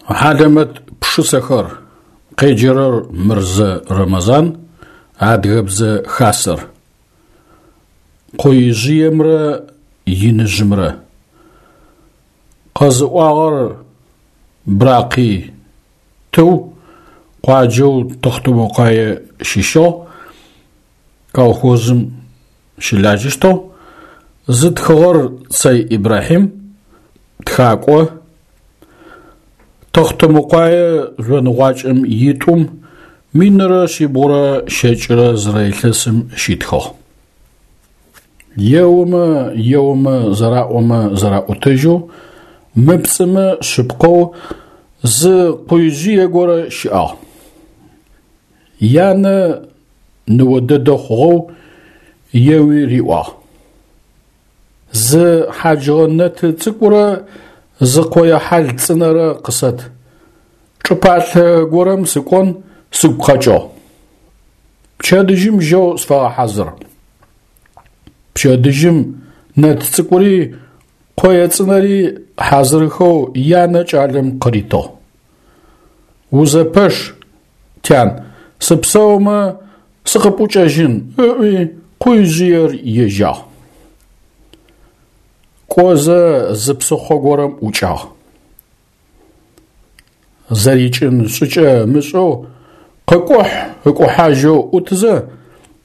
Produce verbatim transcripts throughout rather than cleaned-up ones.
Хьалэмэт пшысэхэр, къеджэрэр Мырзэ Рэмэзан, Адыгэбзэ Хасэр. Къоижъыемрэ иныжъымрэ. Къэзыӏуагъэр Бракъий Тыу, къуаджэу Тэхъутэмыкъуае щыщыгъ, колхозым щылажьэщтыгъ. Зытхыгъэр Цэй Ибрахьим, тхакӏо. Тэхъутэмыкъуае жъоныгъуакӏэм итӏум минрэ шъибгъурэ щэкӏрэ зырэ илъэсым щитхыгъ. Еомэ, еомэ, зэраӏомэ зэраӏотэжьэу, мыпцӏымэ шъыпкъэу зы къуижъые горэ щыӏагъ. Янэ ныо дэдэ хъугъэу еуи риӏуагъ: Зы хьаджыгъэ нэты цӏыкӏурэ зы къое хьал цӏынэрэ къысэт. Чӏыпӏалъэ горэм сыкӏон сыгу къэкӏыгъ. Пчэдыжьым жьэу сфэгъэхьазыр. Пчэдыжьым нэт цӏыкӏури къое цӏынэри хьазырхэу янэ кӏалэм къыритыгъ. Узэпэш, тян, сыпсэумэ сыкъыпӏукӏэжьын, ыӏуи къуижъыер ежьагъ. Кӏозэ зы псыхъо горэм ӏукӏагъ. Зэрикӏын шӏыкӏэ ымышӏэу къыкӏухь-ыкӏухьажьэу ӏутызэ,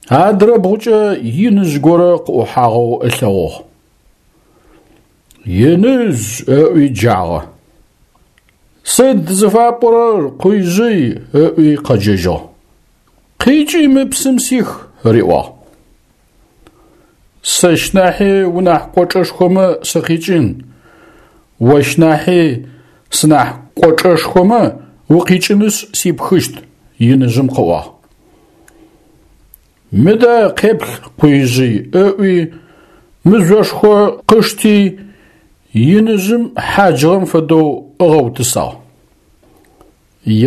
адрэ бгъукӏэ иныжъ горэ къыӏухьагъэу ылъэгъугъ. Иныжъ, ыӏуи джагъэ. Сыд зыфапӏорэр, къуижъый, ыӏуи къэджэжьыгъ. Къикӏи мы псым сих, риӏуагъ. Сэщ нахьи унахь кӏочӏэшхомэ сыкъикӏын, ощ нахьи сынахь кӏочӏэшхомэ укъикӏынышъ сипхыщт, иныжъым къыӏуагъ. Мыдэ къеплъ, къуижъый, ыӏуи мыжъошхо къышти иныжъым хьаджыгъэм фэдэу ыгъэутысагъ.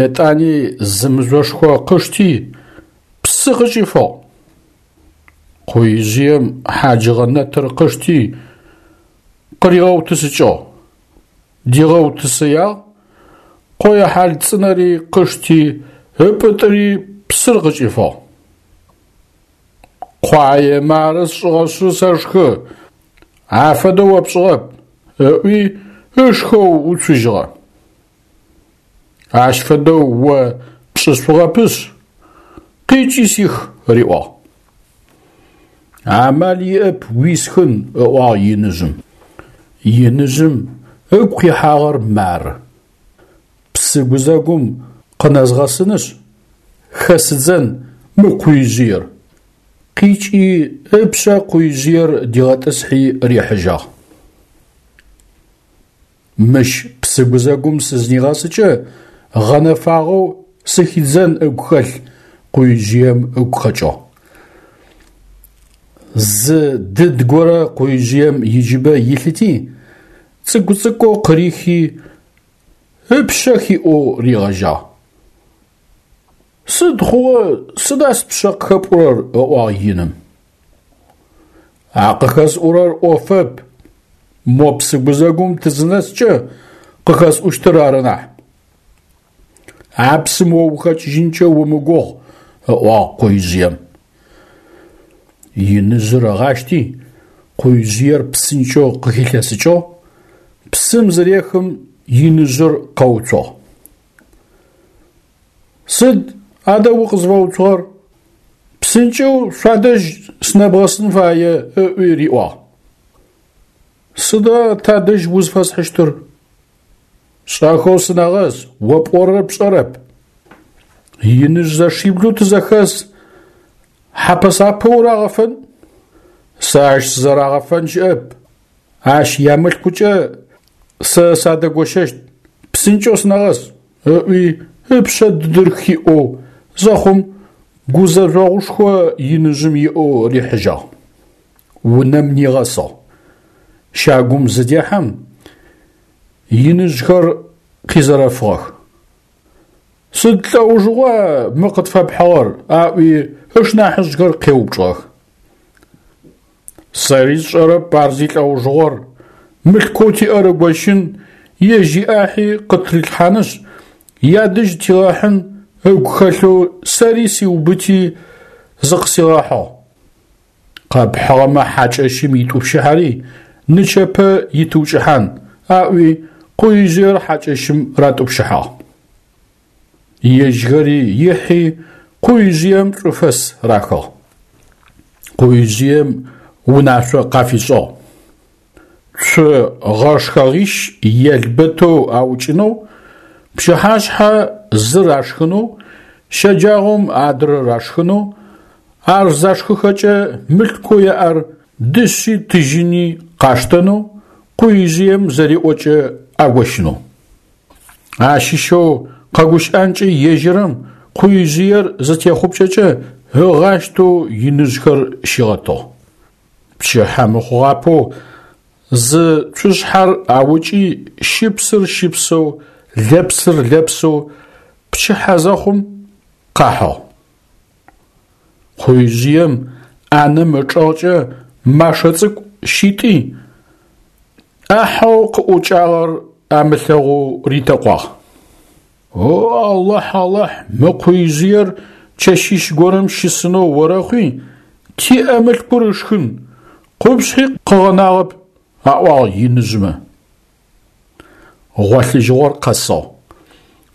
Етӏани зы мыжъошхо къышти псы къыкӏифыгъ. Къуижъыем хьаджыгъэ нэтыр къышти къыригъэутысыкӏыгъ. Дигъэутысыягъ, къое хьал цӏынэри къышти ыпӏытӏыри псыр къыкӏифыгъ. Къуае мары сшӏыгъэшъы сэшхы, афэдэу о пшӏыгъэп, ыӏуи ышхэу уцужьыгъэ. Ащ фэдэу о пшӏышъугъэпышъ, къикӏи сих, риӏуагъ. Амал иӏэп уисхын, ыӏуагъ иныжъым. Иныжъым ыгу къихьагъэр мары: Псы гузэгум къынэзгъэсынышъ, хэсыдзэн мы къуижъыер. Къикӏи ыпшъэ къуижъыер дигъэтӏысхьи рихьыжьагъ. Мыщ псы гузэгум сызнигъэсыкӏэ гъэнэфагъэу сыхидзэн ыгу хэлъ къуижъыем ыгу къэкӏыгъ. Зы дыд горэ къуижъыем иджыбэ илъыти, цӏыкӏу-цӏыкӏоу къырихи, ыпшъэ хиӏоу ригъэжьагъ. Сыд хъугъэ, сыда спшъэ къыхэпӏурэр? Ыӏуагъ иным. А къыхэсӏурэр ӏофэп, мо псы гузэгум тызынэскӏэ къыхэсӏущтыр ары нахь. А псым о ухэкӏыжьынкӏэ умыгугъ, ыӏуагъ къуижъыем. Иныжъыр ыгъащти, къуижъыер псынкӏэу къыхилъэсыкӏыгъ, псым зырехым иныжъыр къэуцугъ. Сыд адэ укъызфэуцугъэр? Псынкӏэу шъуадэжь сынэбгъэсын фае, ыӏуи риӏуагъ. Сыда тадэжь узфэсхьыщтыр? Шӏэхэу сынэгъэс, о пӏорэр пшӏэрэп. Иныжъ зэшиблэу тызэхэс, хьапэ-сапэ урагъэфэн? Сэ ащ сызэрагъэфэн щыӏэп. Ащ ямылъкукӏэ сэ садэгощэщт, псынкӏэу сынэгъэс, ыӏуи ыпшъэ дыдыр хиӏоу зэхъум гузэжъогъушхо иныжъым иӏэу рихьыжьагъ. Унэм нигъэсыгъ. Щагум зыдехьэм иныжъхэр къизэрэфыгъэх. Сыд лӏэужыгъуа мы къытфэпхьыгъэр? Аӏуи ышнахьыжъхэр къеупчӏыгъэх. Сэри сшӏэрэп ар зилӏэужыгъор, мылъкоу тиӏэр ыгощын ежь иӏахьи къытрилъхьанышъ, ядэжь тигъэхьын ыгу хэлъэу сэри сиубыти зыкъысигъэхьыгъ. Къэпхьыгъэмэ хьакӏэщым итӏупщыхьэри нычэпэ итыукӏыхьан, аӏуи къуижъыер хьакӏэщым ратӏупщыхьагъ. Ежьхэри ихьи къуижъыем шӏуфэс рахыгъ. Къуижъыем унашъо къафишӏыгъ. Цу гъэшхэгъищ елбэтэу аукӏынэу, пчыхьашъхьэ зыр ашхынэу, щэджагъом адрэр ашхынэу, ар зашхыхэкӏэ мылъкоу яӏэр дышъи тыжьыни къаштэнэу, къуижъыем зэриӏокӏэ агощынэу. Ащыщэу къэгущыӏэнкӏэ ежьэрэм къуижъыер зытехъупкӏэкӏэ ыгъащтэу иныжъхэр щигъэтыгъ. Пчыхьэ мыхъугъапэу зы цушъхьэр аукӏи щыпсыр щыпсэу, лэпсыр лэпсэу пчыхьэ зэхъум къахьыгъ. Къуижъыем ӏанэм ычӏэгъкӏэ машэ цӏыкӏу щитӏи, ӏахьэу къыӏукӏагъэр амылъэгъоу ритэкъуагъ. О Алахь, Алахь, мы къуижъыер чэщищ горэм щысынэу орэхъуи, тиӏэ мылъкур ышхын, къупшъхьи къыгъэнагъэп, аӏуагъ иныжъмэ. Гъолъыжьыгъор къэсыгъ.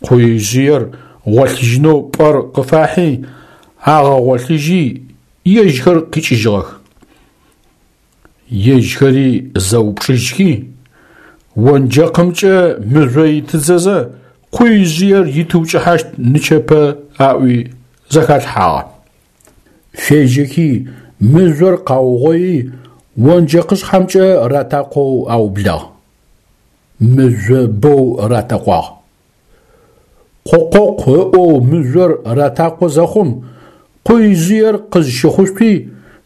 Къуижъыер гъолъыжьынэу пӏэр къыфахьи, агъэгъолъыжьи, ежьхэр къикӏыжьыгъэх. Ежьхэри зэупчӏыжьхи, онджэкъымкӏэ мыжъо итыдзэзэ къуижъыер итыукӏыхьащт нычэпэ аӏуи зэхалъхьагъэ. Фежьэхи мыжъор къаугъои онджэкъышъхьэмкӏэ ратакъоу аублагъ. Мыжъо бэу ратэкъуагъ. Къокъокъу ыӏоу мыжъор ратакъо зэхъум, къуижъыер къызщыхъушъуи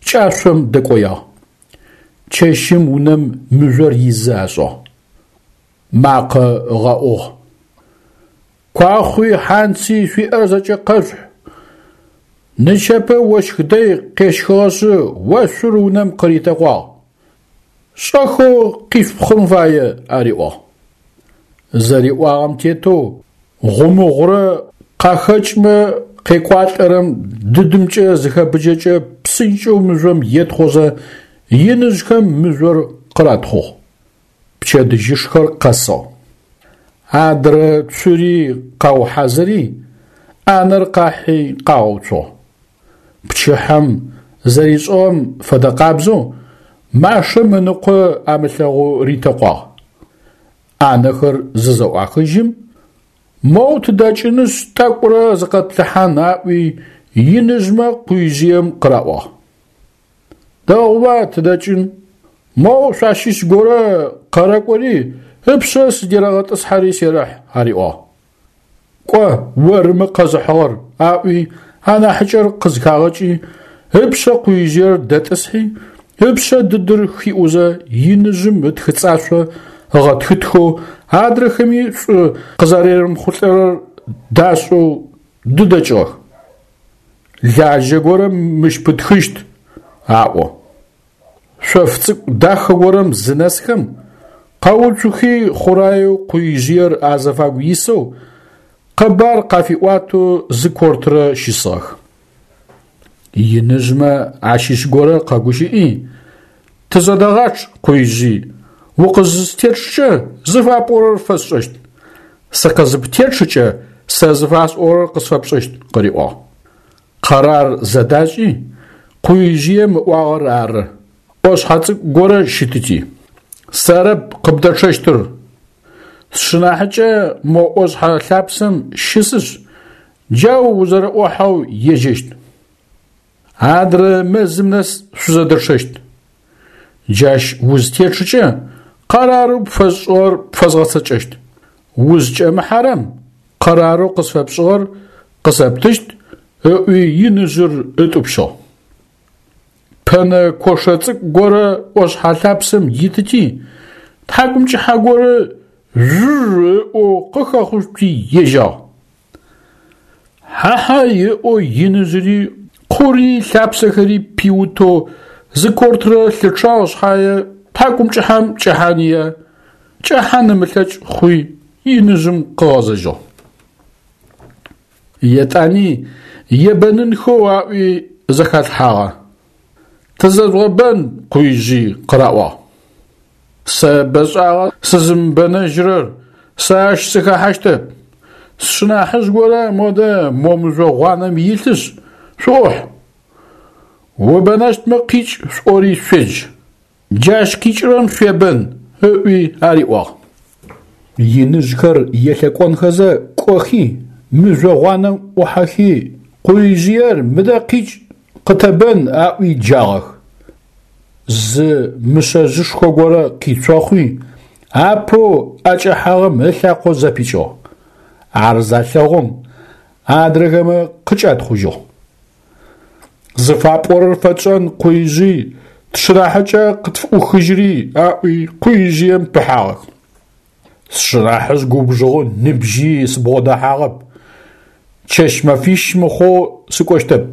кӏашъом дэкӏоягъ. Чэщым унэм мыжъор изы ашӏыгъ. Макъэ ыгъэӏугъ. Куахъуи хьанци шъуиӏэр зэкӏэ къэшъухь. Нычэпэ ощх дэй къещхыгъэшъы ошъур унэм къыритэкъуагъ. Шӏэхэу къишъупхъын фае, ариӏуагъ. Зэриӏуагъэм тетэу гъумыгъурэ къахэкӏмэ къекӏуалӏэрэм дыдымкӏэ зыхэбыджэкӏэ псынкӏэу мыжъом етхъозэ иныжъхэм мыжъор къыратхъугъ. Пчэдыжьышхэр къэсыгъ. Адрэ цури къаухьазыри, ӏанэр къахьи къагъэуцугъ. Пчыхьэм зэришӏыгъэм фэдэ къабзэу машэм ыныкъо амылъэгъоу ритэкъуагъ. ӏанэхэр зызэӏуахыжьым, моу тыдэкӏынышъ тӏэкӏурэ зыкъэтплъыхьан аӏуи иныжъмэ къуижъыем къыраӏуагъ. Дэгъуба тыдэкӏын, моу шъуащыщ горэ къэрэкӏори ыпшъэ сыдерэгъэтӏысхьэри серэхь, ариӏуагъ. Кӏо, ормэ къэзыхьыгъэр, аӏуи анахьыкӏэр къызхагъэкӏи, ыпшъэ къуижъыер дэтӏысхьи, ыпшъэ дыдыр хиӏузэ иныжъым ытхыцӏашъо ыгъэтхытхэу адрэхэми шӏу къызэрерымыхъулӏэрэр дашӏэу дыдэкӏыгъэх. Лажьэ горэм мыщ пытхыщт, аӏо. Шъоф цӏыкӏу дахэ горэм зынэсхэм, къэуцухи хъураеу къуижъыер азыфагу исэу, къэбар къафиӏуатэу зы кортрэ щысыгъэх. Иныжъмэ ащыщ горэ къэгущыӏи, тызэдэгъачъ, къуижъый, укъызыстечъкӏэ зыфапӏорэр фэсшӏэщт, сыкъызыптечъыкӏэ сэ зыфасӏорэр къысфэпшӏэщт, къыриӏуагъ. Къэрар зэдашӏи, къуижъыем ыӏуагъэр ары, ӏошъхьэ цӏыкӏу горэ щытыти. Сэрэп къыбдэчъэщтыр. Сшынахьыкӏэ мо ӏошъхьэ лъапсэм щысышъ, джау узэрэӏохьэу ежьэщт. Адрэ мэзым нэс шъузэдэчъэщт. Джащ узтечъыкӏэ къэрарэу пфэсшӏыгъэр пфэзгъэцэкӏэщт. Узкӏэмыхьэрэм къэрарэу къысфэпшӏыгъэр къысэптыщт, ыӏуи иныжъыр ытӏупщыгъ. Пэнэ кошэ цӏыкӏу горэ ӏошъхьэ лъапсэм итыти, тхьакӏумкӏыхьэ горэ жъужъ ыӏоу къыхэхъушъути ежьагъ. Хьа-хьай ыӏоу иныжъыри къури лъапсэхэри пиутэу зы кортрэ лъычъагъ шъхьае тхьакӏумкӏыхьэм кӏэхьания. Кӏэхьан ымылъэкӏ хъуи иныжъым къыгъэзэжьыгъ. Етӏани ебэнынхэу аӏуи зэхалъхьагъэ. Тызэжъугъэбэн, Къуижъый къыраӏуагъ. Сэ бэшӏагъэ сызымыбэнэжьырэр, сэ ащ сыхэхьащтэп. Сшынахьыжъ горэ модэ мо мыжъо гъуанэм илъышъ, шъуӏухь. Убэнэщтмэ къикӏ шъуӏори шъуедж. Джащ къикӏырэм шъуебэн, ыӏуи ариӏуагъ. Иныжъхэр елъэкӏонхэзэ кӏохи, мыжъо гъуанэм ӏухьэхи, Къуижъыер мыдэ къикӏ къытэбэн аӏуи джагъэх. Зы мышъэжъышхо горэ къицохъуи, апэу ӏэкӏэхьагъэм ылъакъо зэпикӏыгъ. Ар залъэгъум, адрэхэмэ къыкӏатхъужьыгъ. Зыфапӏорэр фэтшӏэн Къуижъый тшынахьыкӏэ къытфыӏухыжьыри аӏуи Къуижъыем пыхьагъэх. Сшынахьыжъ губжыгъэу ныбжьи сыбгъодэхьагъэп. Чэщ-мэфищ мыхъоу сыкӏощтэп.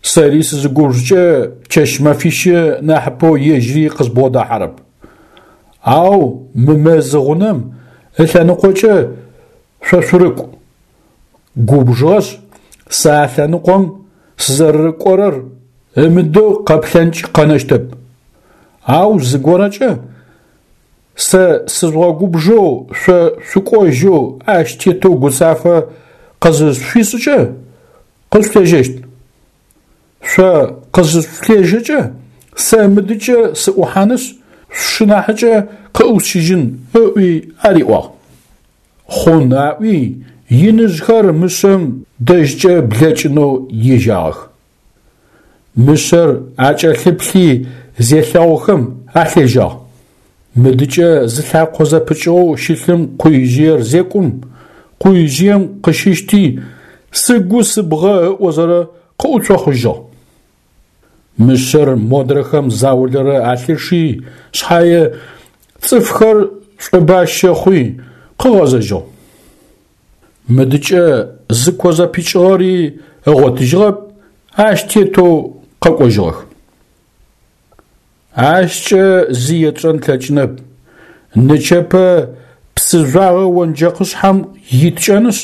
Сэри сызыгубжыкӏэ чэщ-мэфищы нахьыпэу ежьыри къызбгъодахьэрэп. Ау мы мэзы гъунэм ылъэныкъокӏэ шъо шъурыкӏу. Губжыгъэшъ, сэ а лъэныкъом сызэрэрыкӏорэр ымыдэу къэплъэнкӏ къэнэщтэп. Ау зыгорэкӏэ сэ сыжъугъэгубжэу шъо шъукӏожьэу ащ тетэу гуцафэ къызышъуфишӏыкӏэ, къышъулъежьэщт. Шъо къызышъулъежьэкӏэ, сэ мыдыкӏэ сыӏухьанышъ, сшынахьыкӏэ къыӏусщыжьын, ыӏуи ариӏуагъ. Хъун аӏуи, иныжъхэр мышъэм дэжькӏэ блэкӏынэу ежьагъэх. Мышъэр акӏэлъыплъи зелъэгъухэм алъежьагъ. Мыдыкӏэ зылъакъо зэпыкӏыгъэу щылъым Къуижъыер зекӏум, Къуижъыем къыщыщти, сыгу сыбгъэ ыӏозэрэ къыӏуцохъужьыгъ. Мышъэр модрэхэм заулэрэ алъычъи шъхьае, цӏыфхэр шӏобащэ хъуи къыгъэзэжьыгъ. Мыдыкӏэ зыко зэпыкӏыгъэри ыгъотыжьыгъэп, ащ тетэу къэкӏожьыгъэх. Ащкӏэ зи етшӏэн тлъэкӏынэп. Нычэпэ псы жъуагъэ онджэкъышъхьэм иткӏэнышъ,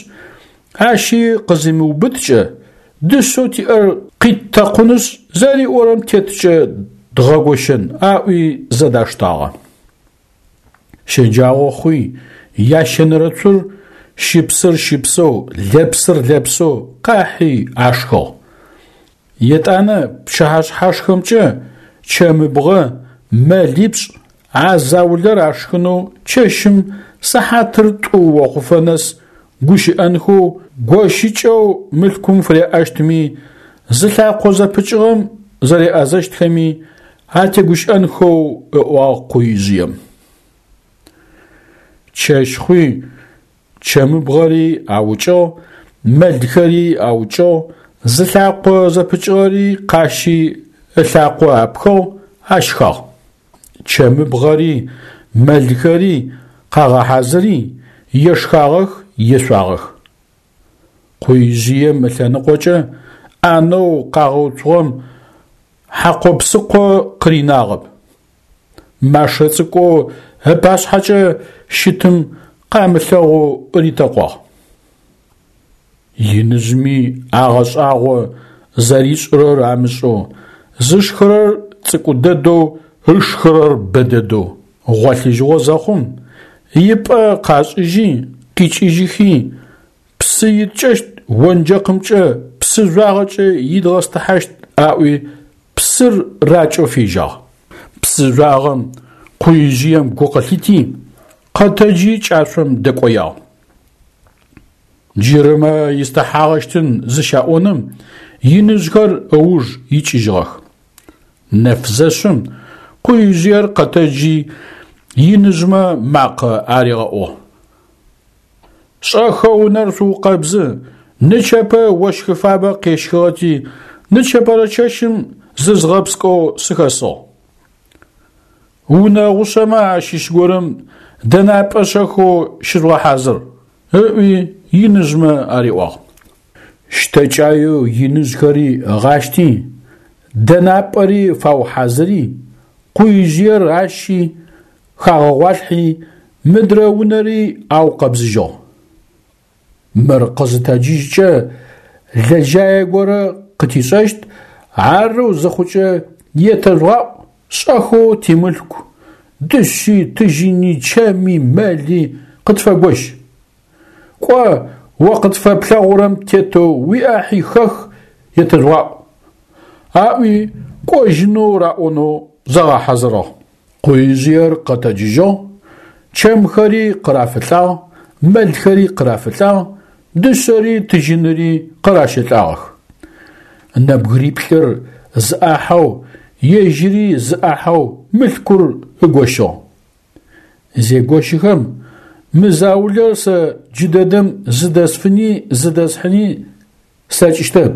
ащи къызимыубыткӏэ, дышъэу тиӏэр къиттэкъунышъ, зэриӏорэм теткӏэ дгъэгощэн, аӏуи зэдаштагъэ. Щэджагъо хъуи, ящэнэрэ цур щыпсыр щыпсэу, лэпсыр лэпсэу къахьи ашхыгъ. Етӏанэ пчыхьэшъхьашхэмкӏэ чэмыбгъэ, мэлипшӏ а заулэр ашхынэу чэщым сыхьатыр тӏу охъуфэ нэс гущыӏэнхэу, гощыкӏэу мылъкум фыряӏэщтми, зылъакъо зэпыкӏыгъэм зэреӏэзэщтхэми атегущыӏэнхэу ыӏуагъ Къуижъыем. Чэщ хъуи, чэмыбгъэри аукӏыгъ, мэлхэри аукӏыгъ, зылъакъо зэпыкӏыгъэри къащи ылъакъо апхыгъ, ашхагъ. Чэмыбгъэри мэлхэри къагъэхьазыри, ешхагъэх, ешъуагъэх. Къуижъыем ылъэныкъокӏэ ӏанэу къагъэуцугъэм хьакъо-псыкъо къыринагъэп. Машэ цӏыкӏоу ыпашъхьэкӏэ щытым къамылъэгъоу ритэкъуагъ. Иныжъми агъэшӏагъо зэришӏырэр амышӏэу, зышхырэр цӏыкӏу дэдэу, ышхырэр бэ дэдэу. Гъолъыжьыгъо зэхъум, ипӏэ къашӏыжьи, къикӏыжьыхи, псы иткӏэщт онджэкъымкӏэ псы жъуагъэкӏэ идгъэстыхьащт аӏуи псыр ракӏэу фежьагъ. Псы жъуагъэм Къуижъыем гу къылъити, къэтэджи кӏашъом дэкӏоягъ. Джырымэ истыхьагъэщтын зыщаӏоным иныжъхэр ыуж икӏыжьыгъэх. Нэф зэшъым Къуижъыер къэтэджи иныжъмэ макъэ аригъэӏугъ. Шӏэхэу унэр шъуукъэбзы, нычэпэ ощхы фабэ къещхыгъэти, нычэпэрэ чэщым зызгъэпскӏэу сыхэсыгъ. Унэ гъушъэмэ ащыщ горэм дэнапӏэ шӏэхэу щыжъугъэхьазыр, ыӏуи иныжъмэ ариӏуагъ. Щтэкӏаеу иныжъхэри ыгъащти, дэнапӏэри фаухьазыри, Къуижъыер ащи хагъэгъуалъхьи, мыдрэ унэри аукъэбзыжьыгъ. Мыр къызытэджыжькӏэ лэжьае горэ къытишӏэщт, арэу зыхъукӏэ етэжъугъаӏу шӏэхэу тимылъку, дышъи, тыжьыни, чэми, мэли къытфэгощ. Кӏо, о къытфэплъэгъурэм тетэу уиӏахьи хэх етэжъугъаӏу. Аӏуи кӏожьынэу раӏонэу загъэхьазырыгъ. Къуижъыер къэтэджыжьыгъ, чэмхэри къырафылӏагъ, мэлхэри къырафылӏагъ, дышъэри тыжьыныри къыращэлӏагъэх. Нэбгыриплӏыр зы ӏахьэу, ежьыри зы ӏахьэу мылъкур ыгощыгъ. Зегощыхэм, мы заулэр сэ джыдэдэм зыдэсфыни зыдэсхьыни слъэкӏыщтэп.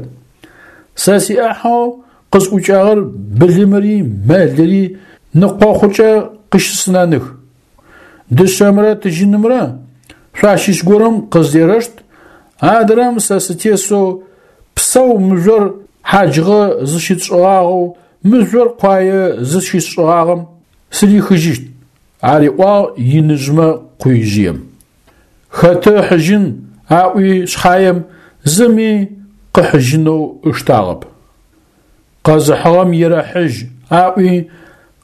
Сэ сиӏахьэу къысӏукӏагъэр былымыри мэлыри ныкъохъукӏэ къыщысынэных. Дышъэмрэ тыжьынымрэ шъуащыщ горэм къыздерэшт, адрэм сэ сытесэу псэу мыжъор хьаджыгъэ зыщытшӏыгъагъэу мыжъор къуае зыщысшӏыгъагъэм сырихыжьыщт, ариӏуагъ иныжъмэ къуижъыем. Хэты ыхьыжьын аӏуи шъхьаем зыми къыхьыжьынэу ыштагъэп. Къэзыхьыгъэм ерэхьыжь аӏуи,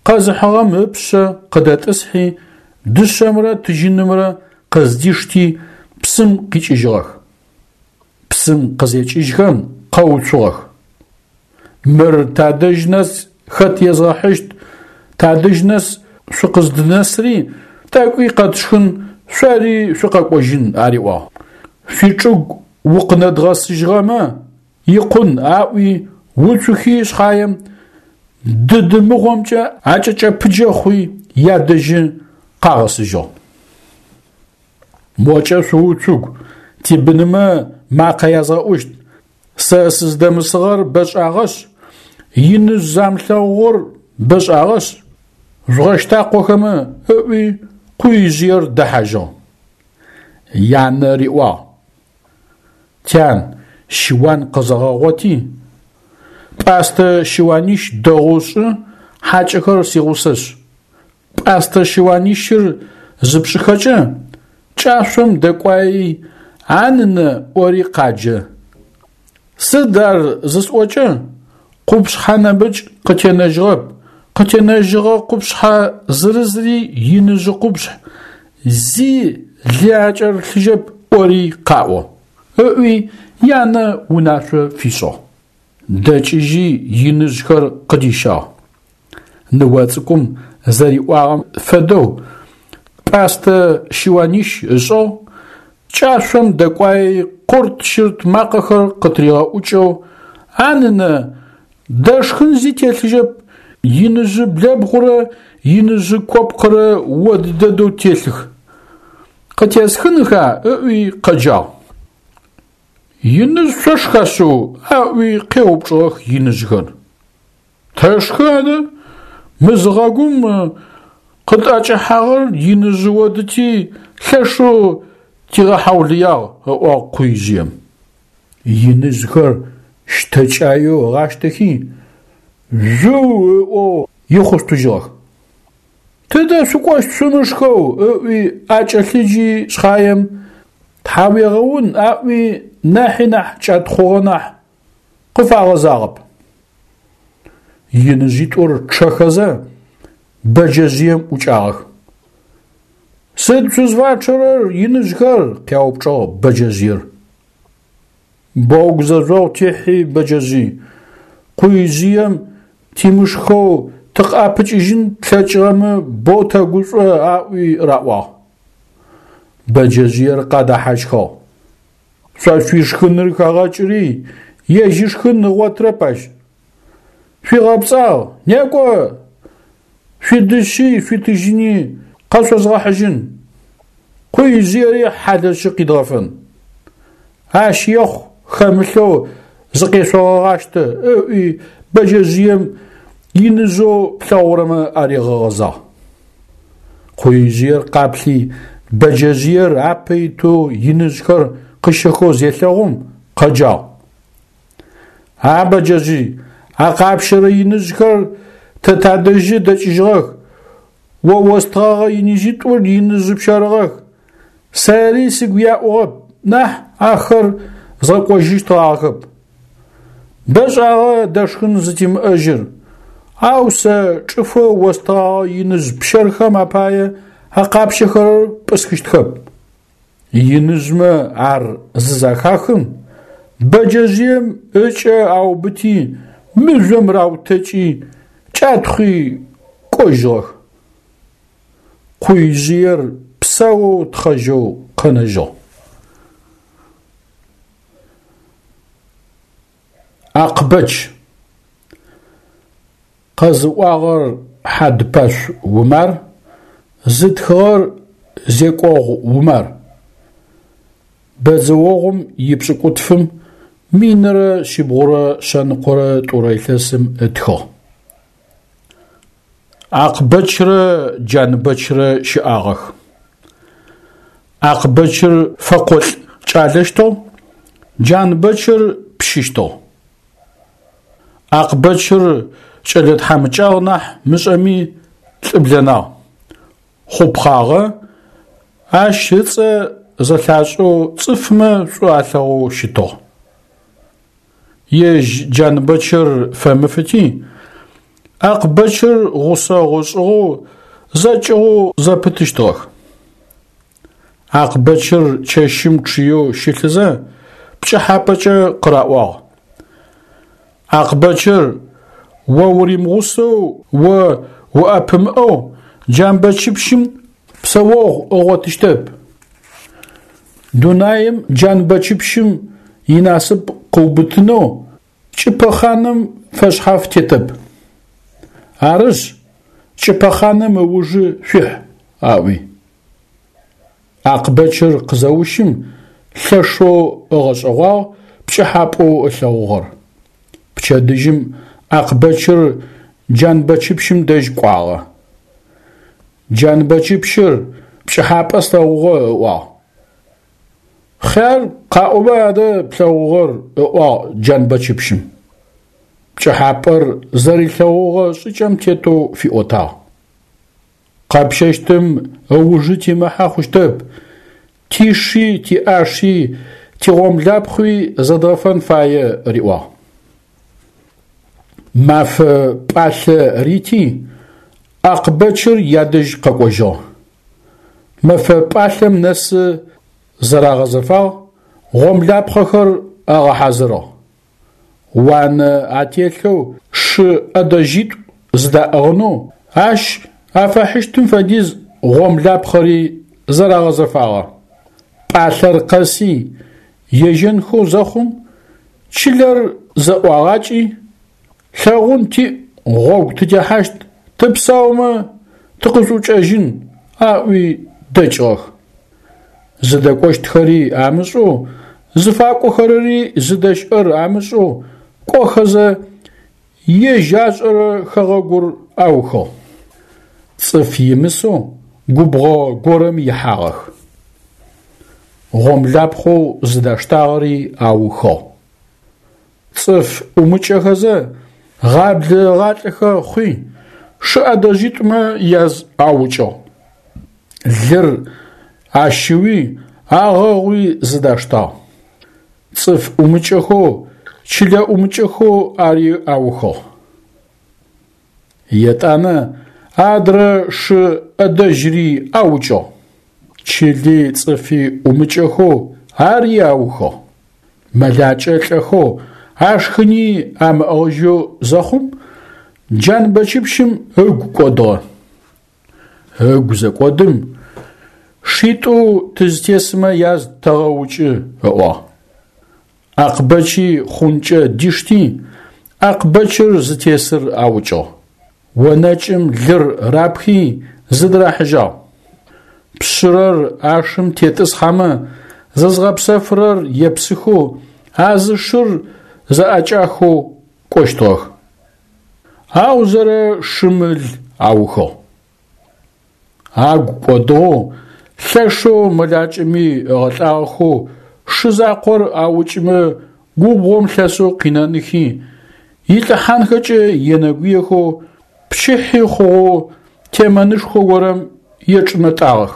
къэзыхьыгъэм ыпшъэ къыдэтӏысхьи, дышъэмрэ тыжьынымрэ къыздишти псым къикӏыжьыгъэх. Псым къызекӏыжьхэм къэуцугъэх. Мыр тадэжь нэс хэт езгъэхьыщт, тадэжь нэс шъукъыздынэсри, тӏэкӏуи къэтшхын, шъори шъукъэкӏожьын ариӏуагъ. Шъуичӏыгу укъынэдгъэсыжьыгъэмэ икъун аӏуи уцухи шъхьаем дыдымыгъомкӏэ акӏэкӏэпыджэ хъуи ядэжьы къагъэсыжьыгъ. Мокӏэ шъууцугу, тибынымэ макъэ язгъэӏущт, сэ сыздэмысыгъэр бэшӏагъэшъ, иныжъ замылъэгъугъэр бэшӏагъэшъ, жъугъэщтакъохэмэ ыӏуи къуижъыер дэхьажьыгъ. Янэ риӏуагъ: Тян, щыуан къэзэгъэгъоти, пӏастэ щыуанищ дэгъоу шӏы, хьакӏэхэр сигъусэшъ. Пӏастэ щыуанищыр зыпшӏыхэкӏэ, кӏашъом дэкӏуаи, а нынэ ӏори къаджэ. Сыд ар зысӏокӏэ, къупшъхьэ нэмыкӏ къытенэжьыгъэп, къытенэжьыгъэ къупшъхьэ зырызри иныжъы къупшъхь, зи лы акӏэрылъыжьэп ӏори къаӏо, ыӏуи янэ унашъо фишӏыгъ. Дэкӏыжьи иныжъхэр къыдищагъ. Ныо цӏыкӏум зэриӏуагъэм фэдэу пӏастэ щыуанищ ышӏыгъ, кӏашъом дэкӏуаи къурт-щырт макъэхэр къытригъэӏукӏэу, а нынэ, дэшхын зи телъыжьэп, иныжъы блэбгъурэ иныжъы копкъырэ од дэдэу телъых. Къытесхынха ыӏуи къэджагъ. Иныжъ шъошха шъыу? Аӏуи къеупчӏыгъэх иныжъхэр. Тэшхы адэ, мызыгъэгум къытӏэкӏэхьагъэр иныжъы одыти лъэшэу тигъэхьаулыягъ, ыӏуагъ къуижъыем. Иныжъхэр щтэкӏаеу ыгъащтэхи, жъыу ыӏоу ихъустыжьыгъэх. Тыдэ шъукӏощт шъумышхэу ыӏуи акӏэлъыджи шъхьаем, тхьауегъэун аӏуи нахьи нахь кӏэтхъугъэ нахь къыфагъэзагъэп. Иныжъитӏур чъэхэзэ бэджэжъыем ӏукӏагъэх. Сыд шъузфачъэрэр, иныжъхэр? Къяупчӏыгъ бэджэжъыер. Боу гузэжъогъу техьи бэджэжъый, къуижъыем тимышхэу тыкъыӏэпыкӏыжьын тлъэкӏыгъэмэ боу тэгушӏо аӏуи раӏуагъ. Бэджэжъыер къадэхьащхыгъ. Шъо шъуишхыныр хэгъэкӏыри, ежь ышхын ыгъотырэп ащ. Шъуигъэпцӏагъ, некӏо, шъуидышъи шъуитыжьыни къэшъозгъэхьыжьын. Къуижъыери хьалэщы къидгъэфэн. Ащ ехъу хэмылъэу зыкъешъогъэгъащтэ, ыӏуи бэджэжъыем иныжъэу плъэгъурэмэ аригъэгъэзагъ. Къуижъыер къаплъи, бэджэжъыер апэ итэу иныжъхэр къыщэхэу зелъэгъум къэджагъ. А бэджэжъый, а къапщэрэ иныжъхэр тэ тадэжьы дэкӏыжьыгъэх, О остыгъэгъэ иныжъитӏур иныжъы пщэрыгъэх. Сэри сыгу яӏугъэп, нахь ахэр згъэкӏожьыщтыгъахэп. Бэшӏагъэ дэшхын зытимыӏэжьыр, ау сэ чӏыфэу остыгъэгъэ иныжъ пщэрхэм апае а къапщэхэрэр пӏысхыщтхэп. Иныжъмэ ар зызэхахым, бэджэжъыем ыкӏэ аубыти, мыжъом раутэкӏи, кӏатхъуи кӏожьыгъэх. Къуижъыер псаоу тхъэжьэу къэнэжьыгъ. Акъбэч. Къэзыӏуагъэр Хьадпэшъу Умар, зытхыгъэр Зекӏогъу Умар. Бэдзэогъум ипшӏыкӏутфым минрэ шъибгъурэ шъэныкъорэ тӏурэ илъэсым ытхыгъ. Акъбэчрэ Джанбэчрэ щыӏагъэх. Акъбэчыр фэкъолӏ кӏалэщтыгъ, Джанбэчыр пщыщтыгъ. Акъбэчыр кӏэлэ тхьамыкӏагъ нахь мышӏэми лӏыблэнагъ. Хъупхъагъэ, ащ ыцӏэ зэлъашӏэу цӏыфмэ шӏу алъэгъоу щытыгъ. Ежь Джанбэчыр фэмыфыти, Акъбэчыр гъусэгъу ышӏыгъэу зэкӏыгъоу зэпытыщтыгъэх. Акъбэчыр чэщым чъыеу щылъызэ пкӏыхьапӏэкӏэ къыраӏуагъ: Акъбэчыр, о уримыгъусэу, о уӏэпымыӏэу Джамбэчыпщым псэогъу ыгъотыщтэп. Дунаим Джанбэчыпщым инасып къыубытынэу Кӏыпэхъаным фэшъхьаф тетэп. Арышъ, Кӏыпэхъаным ыужы шъуихь, аӏуи. Акъбэчыр къызэущым лъэшэу ыгъэшӏэгъуагъ пкӏыхьапӏэу ылъэгъугъэр. Пчэдыжьым Акъбэчыр Джанбэчыпщым дэжь кӏуагъэ. Джанбэчыпщыр пкӏыхьапӏэ слъэгъугъэ ыӏуагъ. Хъяр къаӏоба адэ плъэгъугъэр, ыӏуагъ Джанбэчыпщым. Пкӏыхьапӏэр зэрилъэгъугъэ шӏыкӏэм тетэу фиӏотагъ. Къэпщэщтым ыужы тимыхьэ хъущтэп, тиши, тиӏаши, тигъомлапхъи зэдгъэфэн фае, риӏуагъ. Мафэ пӏалъэ рити, Акъбэчыр ядэжь къэкӏожьыгъ. Мэфэ пӏалъэм нэсы зэрагъэзэфагъ, гъомлапхъэхэр агъэхьазырыгъ. Уанэ ателъэу шы ӏэдэжьитӏу зыдаӏыгъынэу, ащ афэхьыщтым фэдиз гъомлапхъэри зэрагъэзэфагъэ. Пӏалъэр къэси, ежьэнхэу зэхъум, чылэр зэӏуагъакӏи, лъэгъун тиӏ, гъогу тытехьащт, тыпсаумэ тыкъышӏукӏэжьын, аӏуи дэкӏыгъэх. Зыдэкӏощтхэри амышӏэу, зыфакӏохэрэри зыдэщыӏэр амышӏэу кӏохэзэ, ежь ашӏэрэ хэгъэгур аухыгъ. Цӏыф имысэу губгъо горэм ихьагъэх. Гъомлапхъэу зыдаштагъэри аухыгъ. Цӏыф ӏумыкӏэхэзэ, гъаблэ ыгъалӏэхэ хъуи, шы ӏэдэжьитӏумэ яз аукӏыгъ. Лыр ащыуи, агъэгъуи зыдаштагъ. Цӏыф ӏумыкӏэхэу, чылэ ӏумыкӏэхэу ари аухыгъ. Етӏанэ адрэ шы ӏэдэжьри аукӏыгъ. Чыли цӏыфи ӏумыкӏэхэу ари аухыгъ. Мэлакӏэ лӏэхэу ашхыни амыӏыгъыжьэу зэхъум, Джанбэчыпщым ыгу кӏодыгъэ. Ыгу зэкӏодым, шитӏу тызтесымэ яз тэгъэукӏы, ыӏуагъ. Акъбэчи хъункӏэ дишти, Акъбэчыр зытесыр аукӏыгъ. Онэкӏым лыр рапхи зыдырахьыжьагъ. Пшъырэр ашым тетӏысхьэмэ, зызгъэпсэфырэр епсыхэу, а зы шыр зэӏэкӏахэу кӏощтыгъэх. Аузэрэ шым ыл аухыгъ. Агу кӏодыгъэу, лъэшэу мэлакӏэми ыгъэлӏагъэхэу шы закъор аукӏымэ губгъом лъэсэу къинэныхи, илӏыхьанхэкӏэ енэгуехэу, пчыхьи хъугъэу темэнышхо горэм ечӏынэтӏагъэх.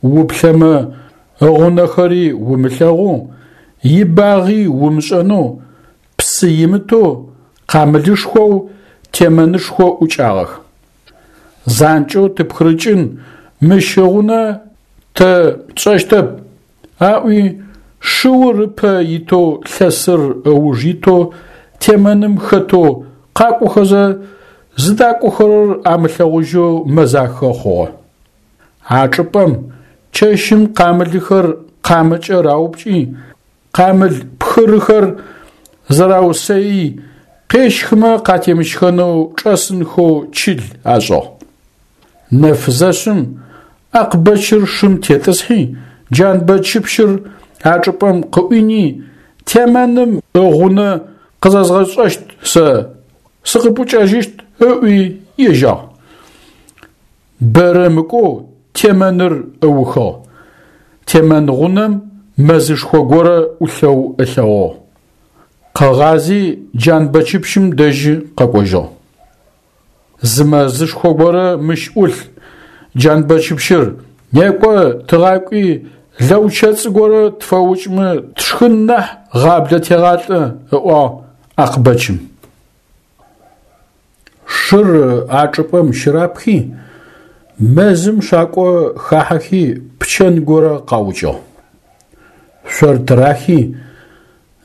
Уплъэмэ ыгъунэхэри умылъэгъоу, ибагъи умышӏэнэу, псы имытэу, къамылышхоу темэнышхо ӏукӏагъэх. Занкӏэу тыпхырыкӏын мыщ ыгъунэ тэ тшӏэщтэп, аӏуи шыур ыпэ итэу лъэсыр ыуж итэу темэным хэтэу къакӏохэзэ зыдакӏохэрэр амылъэгъужьэу мэзахэ хъугъэ. А чӏыпӏэм чэщым къамылыхэр къамэкӏэ раупкӏи, къамыл пхырыхэр зэраусэий къещхымэ къатемыщхэнэу чӏэсынхэу чыл ашӏыгъ. Нэф зэшъым Акъбэчыр шым тетӏысхьи, Джанбэчыпщыр а чӏыпӏэм къыӏуини, темэным ыгъунэ къызэзгъэшӏэщт сэ, сыкъыпӏукӏэжьыщт ыӏуи ежьагъ. Бэрэ мыкӏоу темэныр ыухыгъ. Темэн гъунэм мэзышхо горэ ӏулъэу ылъэгъугъ. Къыгъази Джанбэчыпщым дэжьы къэкӏожьыгъ. Зы мэзышхо горэ мыщ ӏулъ, Джанбэчыпщыр, некӏо тыгъакӏуи лэучэцӏ горэ тфэукӏмэ тшхын нахь гъаблэ тегъалӏэ, ыӏуагъ Акъбэчым. Шыр а чӏыпӏэм щырапхи, мэзым шакӏо хахьэхи пчэн горэ къаукӏыгъ. Шъор тырахи,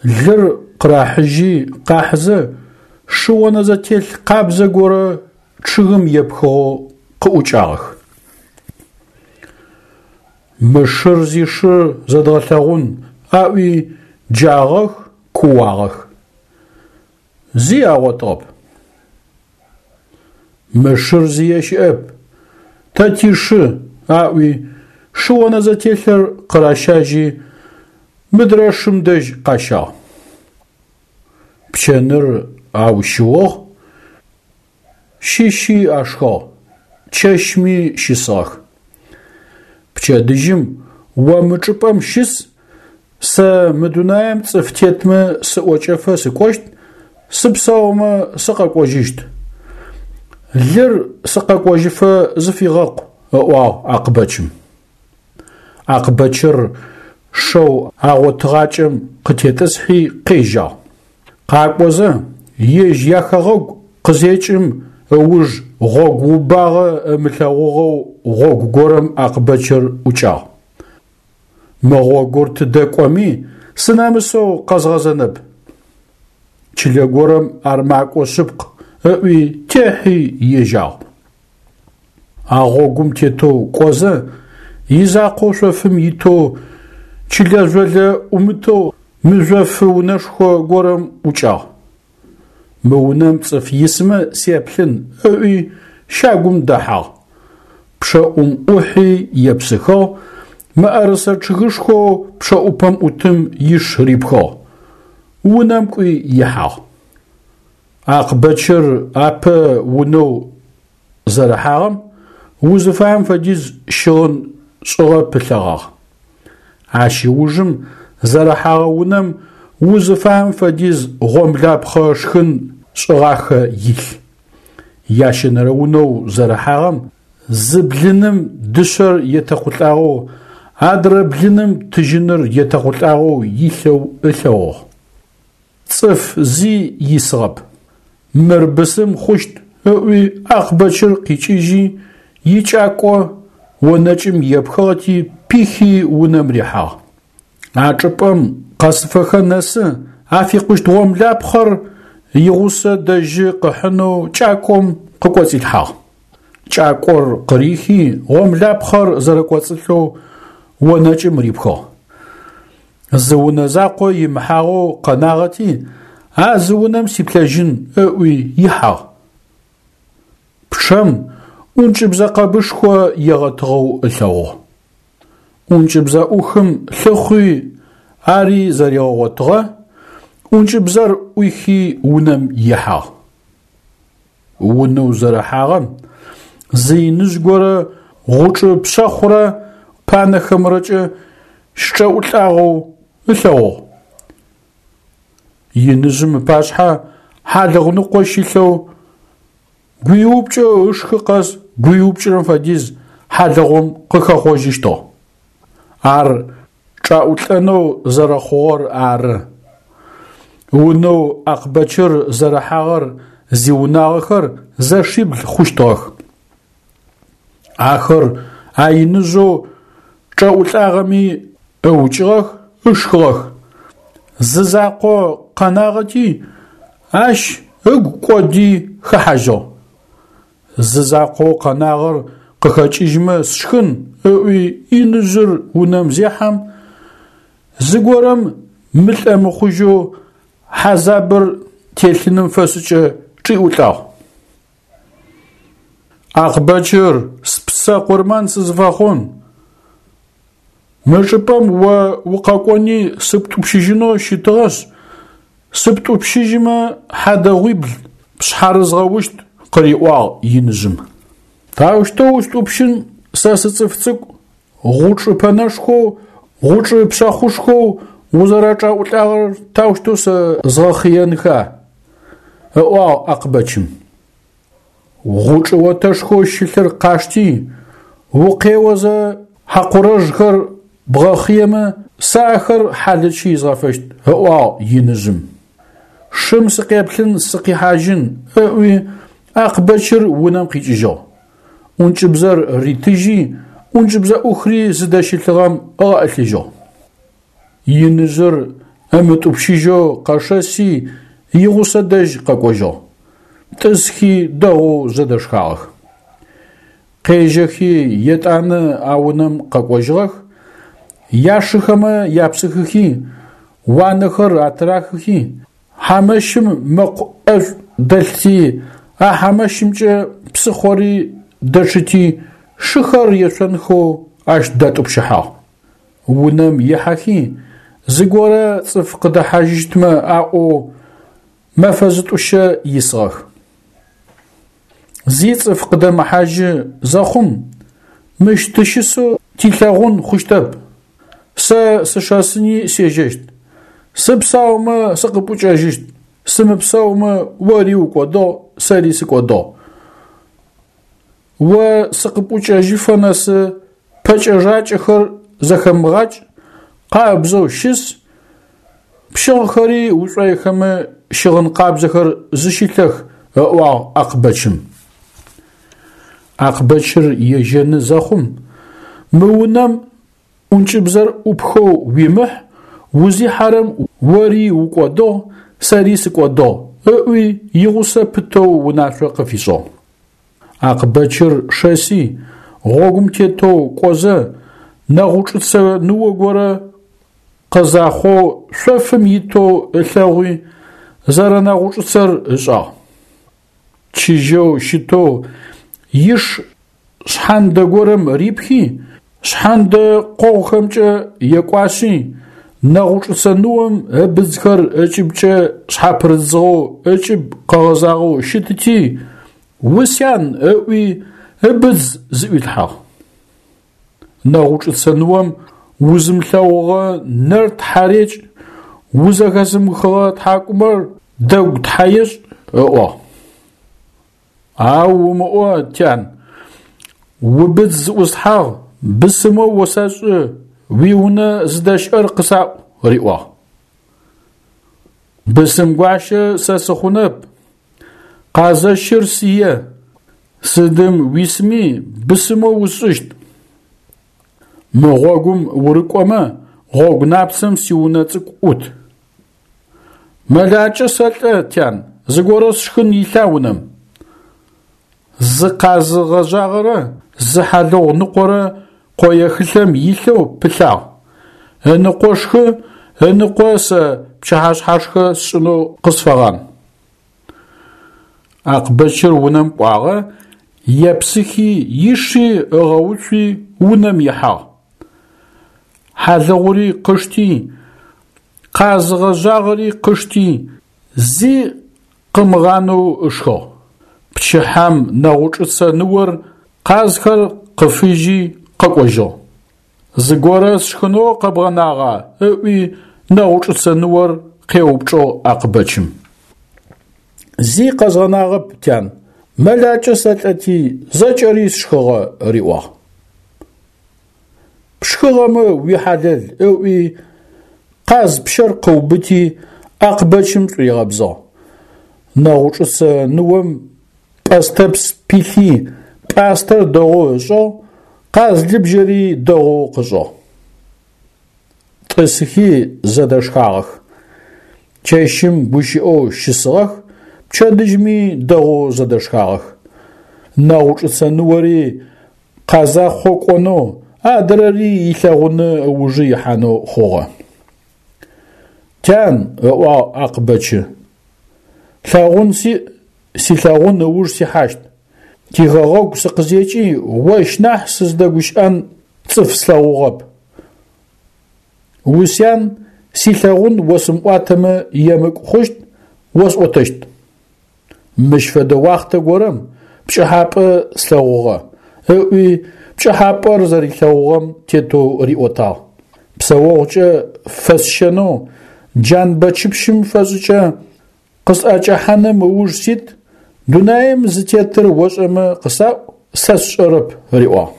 лыр къырахьыжьи къахьызэ шы онэзэтелъ къабзэ горэ чъыгым епхыгъэу къыӏукӏагъэх. Мы шыр зишыр зэдгъэлъэгъун, аӏуи джагъэх, кууагъэх. Зи агъотыгъэп. Мы шыр зие щыӏэп, тэ тишы, аӏуи шы онэзэтелъыр къыращажьи мыдрэ шым дэжь къащагъ. Пчэныр аущыугъ, щыщи ашхыгъ, чэщми щысыгъэх. Пчэдыжьым о мы чӏыпӏэм щыс, сэ мы дунаим цӏыф тетмэ сыӏокӏэфэ сыкӏощт, сыпсаумэ сыкъэкӏожьыщт. Лыр сыкъэкӏожьыфэ зыфигъэкъу, ыӏуагъ Акъбэчым. Акъбэчыр шэу агъотыгъакӏэм къытетӏысхьи къежьагъ. Къакӏозэ ежь яхэгъэгу къызекӏым ыуж гъогу убагъэ ымылъэгъугъэу гъогу горэм Акъбэчыр ӏукӏагъ. Мы гъогур тыдэ кӏоми сынэмысэу къэзгъэзэнэп. Чылэ горэм ар макӏо шъыпкъ, ыӏуи техьи ежьагъ. А гъогум тетэу кӏозэ, изакъоу шъофым итэу чылэ жъолэ ӏумытэу мыжъофы унэшхо горэм ӏукӏагъ. Мы унэм цӏыф исмэ сеплъын, ыӏуи щагум дэхьагъ. Пчъэӏум ӏухьи епсыхыгъ, мыӏэрысэ чъыгышхоу пчъэӏупэм ӏутым иш рипхыгъ. Унэм кӏуи ихьагъ. Акъбэчыр апэ унэу зэрыхьагъэм узыфаем фэдиз щыгъын шӏыгъэ пылъэгъагъ. Ащ ыужым зэрыхьагъэ унэм узыфаем фэдиз гъомлапхъэ шхын шӏыгъахэ илъ. Ящэнэрэ унэу зэрыхьагъэм зы блыным дышъэр етэкъулӏагъэу, адрэ блыным тыжьыныр етэкъулӏагъэу илъэу ылъэгъугъ. Цӏыф зи исыгъэп. Мыр бысым хъущт, ыӏуи Акъбэчыр къикӏыжьи, икӏакӏо онэкӏым епхыгъэти пихи унэм рихьагъ. А чӏыпӏэм къэсыфэхэ нэсы афикъущт гъомлапхъэр игъусэ дэжьы къыхьынэу кӏакӏом къыкӏоцӏилъхьагъ. Кӏакӏор къырихи гъомлапхъэр зэрэкӏоцӏылъэу онэкӏым рипхыгъ. Зы унэ закъо имыхьагъэу къэнагъэти, а зы унэм сиплъэжьын, ыӏуи ихьагъ. Пчъэм ӏункӏыбзэ къэбышхо егъэтыгъэу ылъэгъугъ. ӏункӏыбзэ ӏухым лъыхъуи ари зэригъэгъотыгъэ, ӏункӏыбзэр ӏуихи унэм ихьагъ. Унэу зэрыхьагъэм зы иныжъ горэ гъучӏы пшъэхъурэ панэхэмрэкӏэ щычӏэӏулӏагъэу ылъэгъугъ. Иныжъым ыпашъхьэ хьалыгъу ныкъо щилъэу Гуиупкӏэу ышхы къэс гуиупкӏырэм фэдиз хьалыгъум къыхэхъожьыщтыгъ. Ар чӏаӏулӏэнэу зэрэхъугъэр ары. Унэу Акъбэчыр зэрыхьагъэр зиунагъэхэр зэшибл хъущтыгъэх. Ахэр а иныжъэу чӏэӏулӏагъэми ыукӏыгъэх, ышхыгъэх. Зы закъо къэнагъэти, ащ ыгу кӏоди хэхьажьыгъ. Зы закъоу къэнагъэр къыхэкӏыжьмэ сшхын, ыӏуи иныжъыр унэм зехьэм, зыгорэм мылӏэ-мыхъужьэу хьазабыр телъыным фэшӏыкӏэ чӏиӏулӏагъ. Акъбэчыр, спсэ къурмэн сызыфэхъун. Мы чӏыпӏэм о укъэкӏони сыптӏупщыжьынэу щытыгъэшъ, сыптӏупщыжьымэ хьадэгъуибл пшъхьарызгъэущт, къыриӏуагъ иныжъым. Таущтэу устӏупщын, сэ сыцӏыф цӏыкӏу, гъучӏы пэнэшхоу, гъучӏы пшъэхъушхоу узэрэчӏаӏулӏагъэр таущтэу сэ згъэхъыенха? Ыӏуагъ Акъбэчым. Гъучӏы отэшхоу щылъыр къашти, укъеозэ хьакъурэжъхэр бгъэхъыемэ, сэ ахэр хьалэчы изгъэфэщт, ыӏуагъ иныжъым. Шым сыкъеплъын сыкъихьажьын, ыӏуи Акъбэчыр унэм къикӏыжьыгъ. ӏункӏыбзэр ритыжьи, ӏункӏыбзэӏухри зыдэщылъыгъэм ыгъэӏылъыжьыгъ. Иныжъыр ымытӏупщыжьэу къэшэси игъусэ дэжь къэкӏожьыгъ. Тӏысхи дэгъоу зэдэшхагъэх. Къежьэхи етӏанэ а унэм къэкӏожьыгъэх, яшыхэмэ япсыхыхи, уанэхэр атырахыхи, хьамэщым мэкъу ӏэшӏу дэлъти, а хьамэщымкӏэ псыхъори дэчъыти, шыхэр ешъонхэу ащ датӏупщыхьагъ. Унэм ихьэхи, зыгорэ цӏыф къыдэхьажьыщтмэ аӏоу мэфэ зытӏущэ исыгъэх. Зи цӏыф къыдэмыхьажьы зэхъум, мыщ тыщысэу тилъэгъун хъущтэп, сэ сышэсыни сежьэщт, сыпсаумэ сыкъыпӏукӏэжьыщт, сымыпсэумэ ори укӏодыгъ, сэри сыкӏодыгъ. О сыкъыпӏукӏэжьыфэ нэсы пэкӏэ-жакӏэхэр зэхэмыгъакӏ, къабзэу щыс, пщыгъхэри ушӏойхэмэ щыгъын къабзэхэр зыщылъэх, ыӏуагъ Акъбэчым. Акъбэчыр ежьэны зэхъум, мы унэм ӏункӏыбзэр ӏупхэу уимыхь, узихьэрэм ори укӏодыгъ, сэри сыкӏодыгъ, ыӏуи игъусэ пытэу унашъо къыфишӏыгъ. Акъбэчыр шэси, гъогум тетэу кӏозэ, нэгъучӏыцэ ныо горэ къэзахъоу шъофым итэу ылъэгъуи, зэрэнэгъучӏыцэр ышӏагъ. Чыжьэу щытэу иш шъхьандэ горэм рипхи, шъхьандэ къогъухэмкӏэ екӏуашъи, нэгъучӏыцэ ныом ыбыдзхэр ыкӏыбкӏэ шъхьапырыдзыгъэу ыкӏыб къэгъэзагъэу щытыти, «Усян!» ыӏуи ыбыдз зыӏуилъхьагъ. Нэгъучӏыцэ ныом узымылъэгъугъэ нэр тхьарекӏ, узэхэзымыхыгъэ тхьакӏумэр дэгу тхьаешӏ, ыӏуагъ. Ау умыӏо, тян, убыдз зыӏуслъхьагъ, бысымэу осэшӏы, уиунэ зыдэщыӏэр къысаӏу, риӏуагъ. Бысымгуащэ сэ сыхъунэп, къазэщыр сие, сыдым уисми бысымэу усшӏыщт. Мы гъогум урыкӏомэ, гъогу напцэм сиунэ цӏыкӏу ӏут. Мэлакӏэ сэлӏэ, тян, зыгорэ сшхын илъа унэм? Зы къаз гъэжъагъэрэ зы хьалыгъу ныкъорэ къоехылъэм илъэу пылъагъ. Ыныкъо шхы, ыныкъо сэ пчыхьэшъхьашхэ сшӏынэу къысфэгъан. Акъбэчыр унэм кӏуагъэ, епсыхи иши ыгъэуцуи унэм ихьагъ. Хьалыгъури къышти, къаз гъэжъагъэри къышти, зи къымыгъанэу ышхыгъ. Пчыхьэм нэгъучӏыцэ ныор къазхэр къыфыжьи къэкӏожьыгъ. Зыгорэ сшхынэу къэбгъэнагъа? Ыӏуи нэгъучӏыцэ ныор къеупчӏыгъ Акъбэчым. Зи къэзгъэнагъэп, тян, Мэлакӏэ сэлӏэти, зэкӏэри сшхыгъэ, риӏуагъ. Пшхыгъэмэ уихьалэл ыӏуи, къаз пщэр къыубыти, Акъбэчым шӏуигъэбзыгъ. Нэгъучӏыцэ ныом пӏэстэпс пилъи, пӏастэр дэгъоу ышӏыгъ, къаз лыбжьэри дэгъоу къышӏыгъ. Тӏысыхи зэдэшхагъэх. Чэщым гущыӏэу щысыгъэх, пчэдыжьми дэгъоу зэдэшхагъэх. Нэгъучӏыцэ ныори къазахъо кӏонэу, адрэри илъэгъунэ ыужы ихьанэу хъугъэ. Тян, ыӏуагъ Акъбэчы, лъэгъун сиӏ, силъэгъун ыуж сихьащт. Тихэгъэгу сыкъызекӏи ощ нахь сыздэгущыӏэн цӏыф слъэгъугъэп. Усян, силъэгъун осымыӏуатэмэ емыкӏу хъущт, осӏотэщт. Мыщ фэдэ уахътэ горэм пкӏыхьапӏэ слъэгъугъэ, ыӏуи пкӏыхьапӏэр зэрилъэгъугъэм тетэу риӏотагъ. Псэогъукӏэ фэсщэнэу Джанбэчыпщым фэшӏыкӏэ къысӏэкӏэхьаным ыуж сит, дунаим зытетыр ошӏэмэ къысаӏу, сэ сшӏэрэп, риӏуагъ.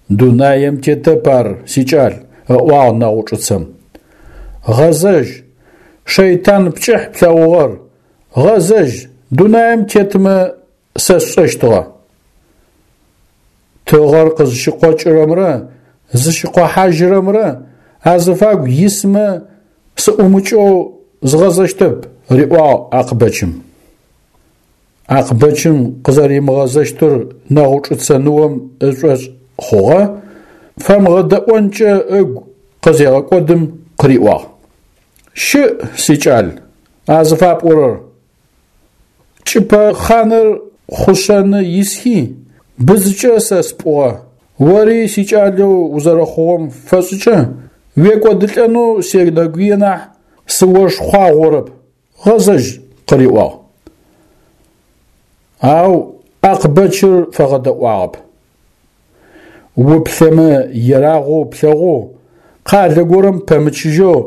Дунаим тетэп ар, сикӏал, ыӏуагъ Нэгъучӏыцэм. Гъэзэжь, шэйтан пкӏыхь плъэгъугъэр, гъэзэжь, дунаим тетмэ сэ сшӏэщтыгъэ. Тыгъэр къызщыкъокӏырэмрэ зыщыкъохьажьырэмрэ азыфагу исмэ сыӏумыкӏэу згъэзэщтэп, риӏуагъ Акъбэчым. Акъбэчым къызэримыгъэзэщтыр Нэгъучӏыцэ ныом ышӏошъ хъугъэ, фэмыгъэдэӏонкӏэ ыгу къызегъэкӏодым къыриӏуагъ: Щыӏ, сикӏал, а зыфапӏорэр. Кӏыпэ хъаныр хъушъэны исхи, бызыкӏэ сэ спӏугъэ, ори сикӏалэу узэрэхъугъэм фэшӏыкӏэ уекӏодылӏэнэу сенэгуе нахь сыошхъуагъорэп, гъэзэжь, къыриӏуагъ. Ау Акъбэчыр фэгъэдэӏуагъэп. Уплъэмэ ерагъоу плъэгъоу, къалэ горэм пэмычыжьэу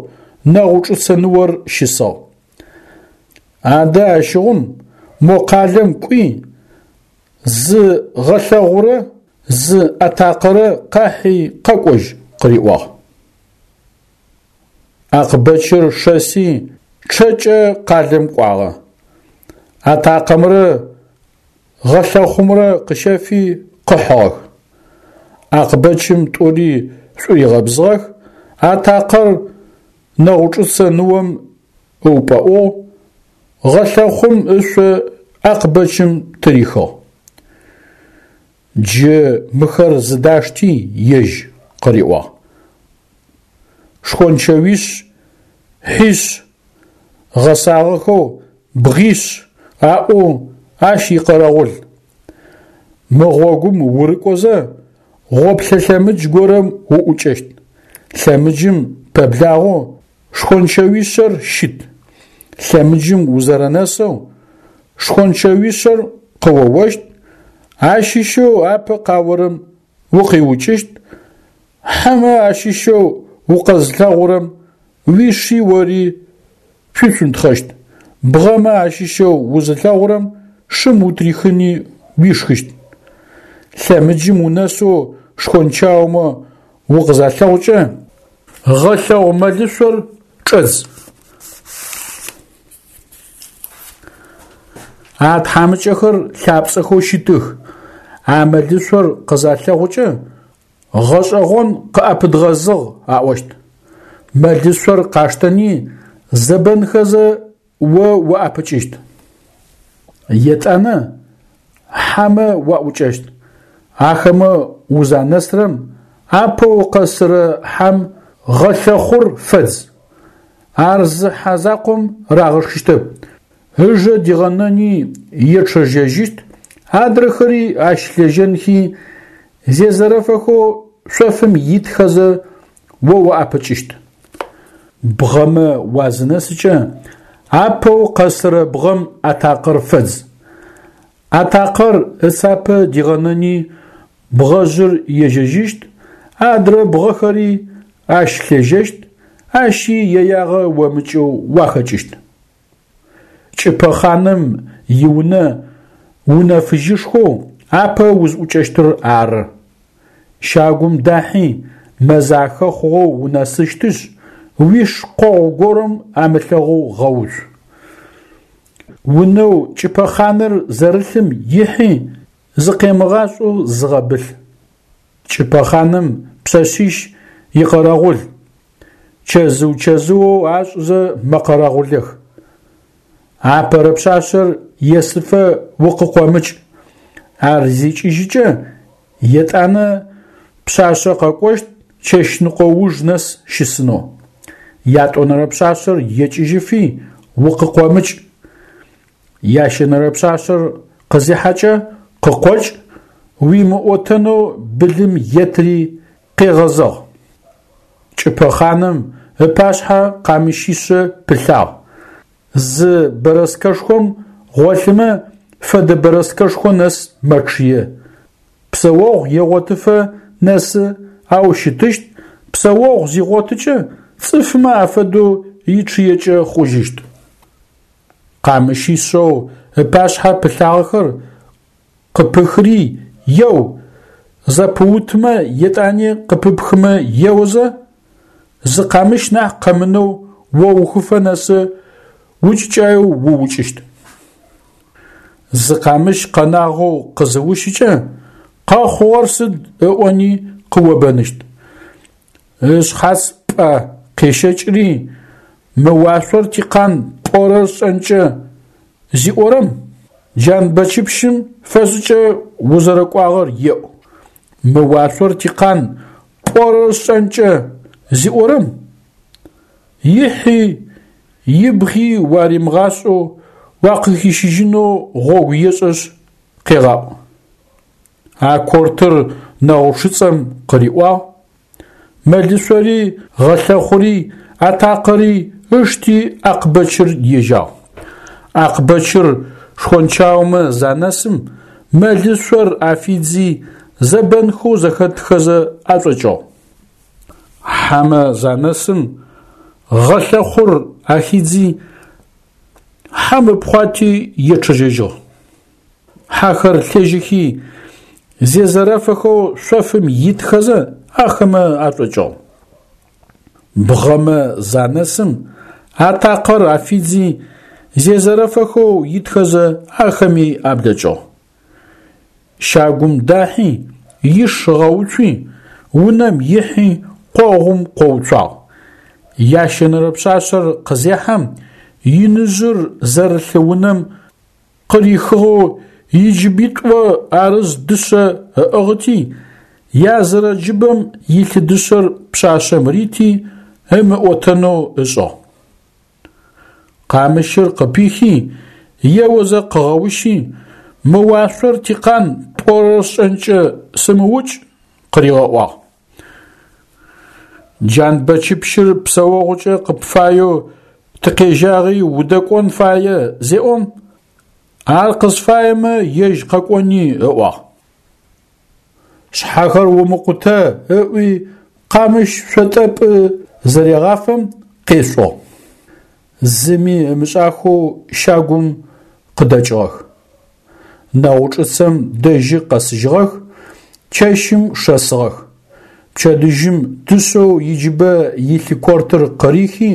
Нэгъучӏыцэ ныор щысыгъ. Адэ ащыгъум мо къалэм кӏуи, зы гъэлъэгъурэ зы атакъэрэ къахьи къэкӏожь, къыриӏуагъ. Акъбэчыр шэси чъэкӏэ къалэм кӏуагъэ. Атакъэмрэ гъэлъэхъумрэ къыщэфи къыхьыгъэх. Акъбэчым тӏури шӏуигъэбзыгъэх, атакъэр Нэгъучӏыцэ ныом ыупӏэӏугъ, гъэлъэхъум ышъо Акъбэчым тырихыгъ. Джы мыхэр зыдашти ежь, къыриӏуагъ. Шхончэуищ, хьищ, гъэсагъэхэу бгъищ аӏоу ащ икъэрэгъул. Мы гъогум урыкӏозэ гъоплъэ лъэмыдж горэм уӏукӏэщт. Лъэмыджым пэблагъэу шхончэуишъэр щыт. Лъэмыджым узэрэнэсэу шхончэуишъэр къыоощт, ащыщэу апэ къаорэм укъиукӏыщт, хьэмэ ащыщэу укъэзылъэгъурэм уиши ори шъуицунтхъэщт, бгъэмэ ащыщэу узылъэгъурэм шым утрихыни уишхыщт. Лъэмыджым унэсэу шхончаомэ укъызалъэгъукӏэ, гъэлъэгъу мэлышъор чӏэдз. А тхьамыкӏэхэр лъапцӏэхэу щытых, а мэлышъор къызалъэгъукӏэ, гъэшӏэгъон къыӏэпыдгъэзыгъ аӏощт. Мэлышъор къаштэни зэбэнхэзэ о уаӏэпыкӏыщт. Етӏанэ хьэмэ уаӏукӏэщт. Ахэмэ узанэсрэм апэу къэсырэ хьэм гъэлъэхъур фэдз. Ар зы хьэ закъом рагъэшхыщтэп, ыжэ дигъэнэни ечъэжьэжьыщт, адрэхэри ащ лъежьэнхи зезэрэфэхэу шъофым итхэзэ о уаӏэпыкӏыщт. Бгъэмэ уазынэсыкӏэ апэу къэсырэ бгъэм атакъэр фэдз. Атакъэр ыцапэ дигъэнэни бгъэжъыр ежьэжьыщт, адрэ бгъэхэри ащ лъежьэщт, ащи иягъэ омыкӏэу уахэкӏыщт. Кӏыпэ хъаным иунэ унэ фыжьышхоу апэ узӏукӏэщтыр ары. Щагум дахьи, мэзахэ хъугъэу унэсыщтышъ, уиш къогъу горэм амылъэгъоу гъэуцу. Унэу кӏыпэхъаныр зэрылъым ихьи, зыкъемыгъашӏэу зыгъэбылъ. Кӏыпэхъаным пшъэшъищ икъэрэгъул, чэзыу-чэзыоу ашӏызэ мэкъэрэгъулэх. Апэрэ пшъашъэр есыфэ укъыкъомыкӏ, ар зикӏыжьыкӏэ, етӏанэ пшъашъэ къэкӏощт чэщныкъо уж нэс щысынэу. Ятӏонэрэ пшъашъэр екӏыжьыфи укъыкъомыкӏ. Ящэнэрэ пшъашъэр къызихьэкӏэ къыкъокӏ, уимыӏотэнэу былым етыри къегъэзэгъ. Кӏыпэхъаным ыпашъхьэ къамыщишъэ пылъагъ. Зы бэрэскэшхом гъолъымэ фэдэ бэрэскэшхо нэс мэчъые. Псэогъу егъотыфэ нэсы ау щытыщт, псэогъу зигъотыкӏэ цӏыфмэ афэдэу ичъыекӏэ хъужьыщт. Къамыщишъэу ыпашъхьэ пылъагъэхэр къыпыхыри еу, зэпыутымэ етӏани къыпыпхымэ еозэ, зы къамыщ нахь къэмынэу оухыфэ нэсы укӏыкӏаеу уукӏыщт. Зы къамыщ къэнагъэу къызыущыкӏэ, къэхъугъэр сыд ыӏони къыобэныщт. Ышъхьац пӏэ къещэкӏыри, мы уашъор тикъан пӏорэр сшӏэнкӏэ зиӏорэм, Джанбэчыпщым фэшӏыкӏэ узэрэкӏуагъэр еӏу. Мы уашъор тикъан пӏорэр сшӏэнкӏэ зиӏорэм, ихьи ибгъи уаримыгъашӏэу уакъыхищыжьынэу гъогу ешӏышъ къегъаӏу. А кортыр Нэгъучъыцӏэм къыриӏуагъ, мэлышъори, гъэлъэхъури, атакъэри ышти Акъбэчыр ежьагъ. Акъбэчыр шхончаомэ занэсым, мэлышъор афидзи, зэбэнхэу зэхэтхэзэ ашӏокӏыгъ. Хьэмэ занэсым, гъэлъэхъур ахидзи, хьэм ыпхъуати ечъэжьэжьыгъ. Хьэхэр лъежьэхи, зезэрэфэхэу шъофым итхэзэ ахэмэ ашӏокӏыгъ. Бгъэмэ занэсым, атакъэр афидзи, зезэрэфэхэу итхэзэ ахэми аблэкӏыгъ. Щагум дахьи, иш ыгъэуцуи, унэм ихьи къогъум къоуцуагъ. Ящэнэрэ пшъашъэр къызехьэм, иныжъыр зэрылъ унэм къырихыгъэу иджыбитӏо арыз дышъэ ыӏыгъыти, язырэ джыбэм илъ дышъэр пшъашъэм рити, ымыӏотэнэу ышӏыгъ. Къамыщыр къыпихи, еозэ къыгъэущи, мы уашъор тикъан пӏорэр сшӏэнкӏэ сымыукӏ къыригъэӏуагъ. Джанбэчыпщыр псэогъукӏэ къыпфаеу тыкъежьагъи удэкӏон фае зеӏом, ар къысфаемэ ежь къэкӏони ыӏуагъ. Шъхьэхэр умыкъутэ ыӏуи къамыщ шъотӏэпӏы зырегъафэм къешӏугъ. Зыми ымышӏахэу щагум къыдэкӏыгъэх. Нэгъучӏыцэм дэжьы къэсыжьыгъэх, чэщым шэсыгъэх. Пчэдыжьым дышъэу иджыбэ илъ кортыр къырихи,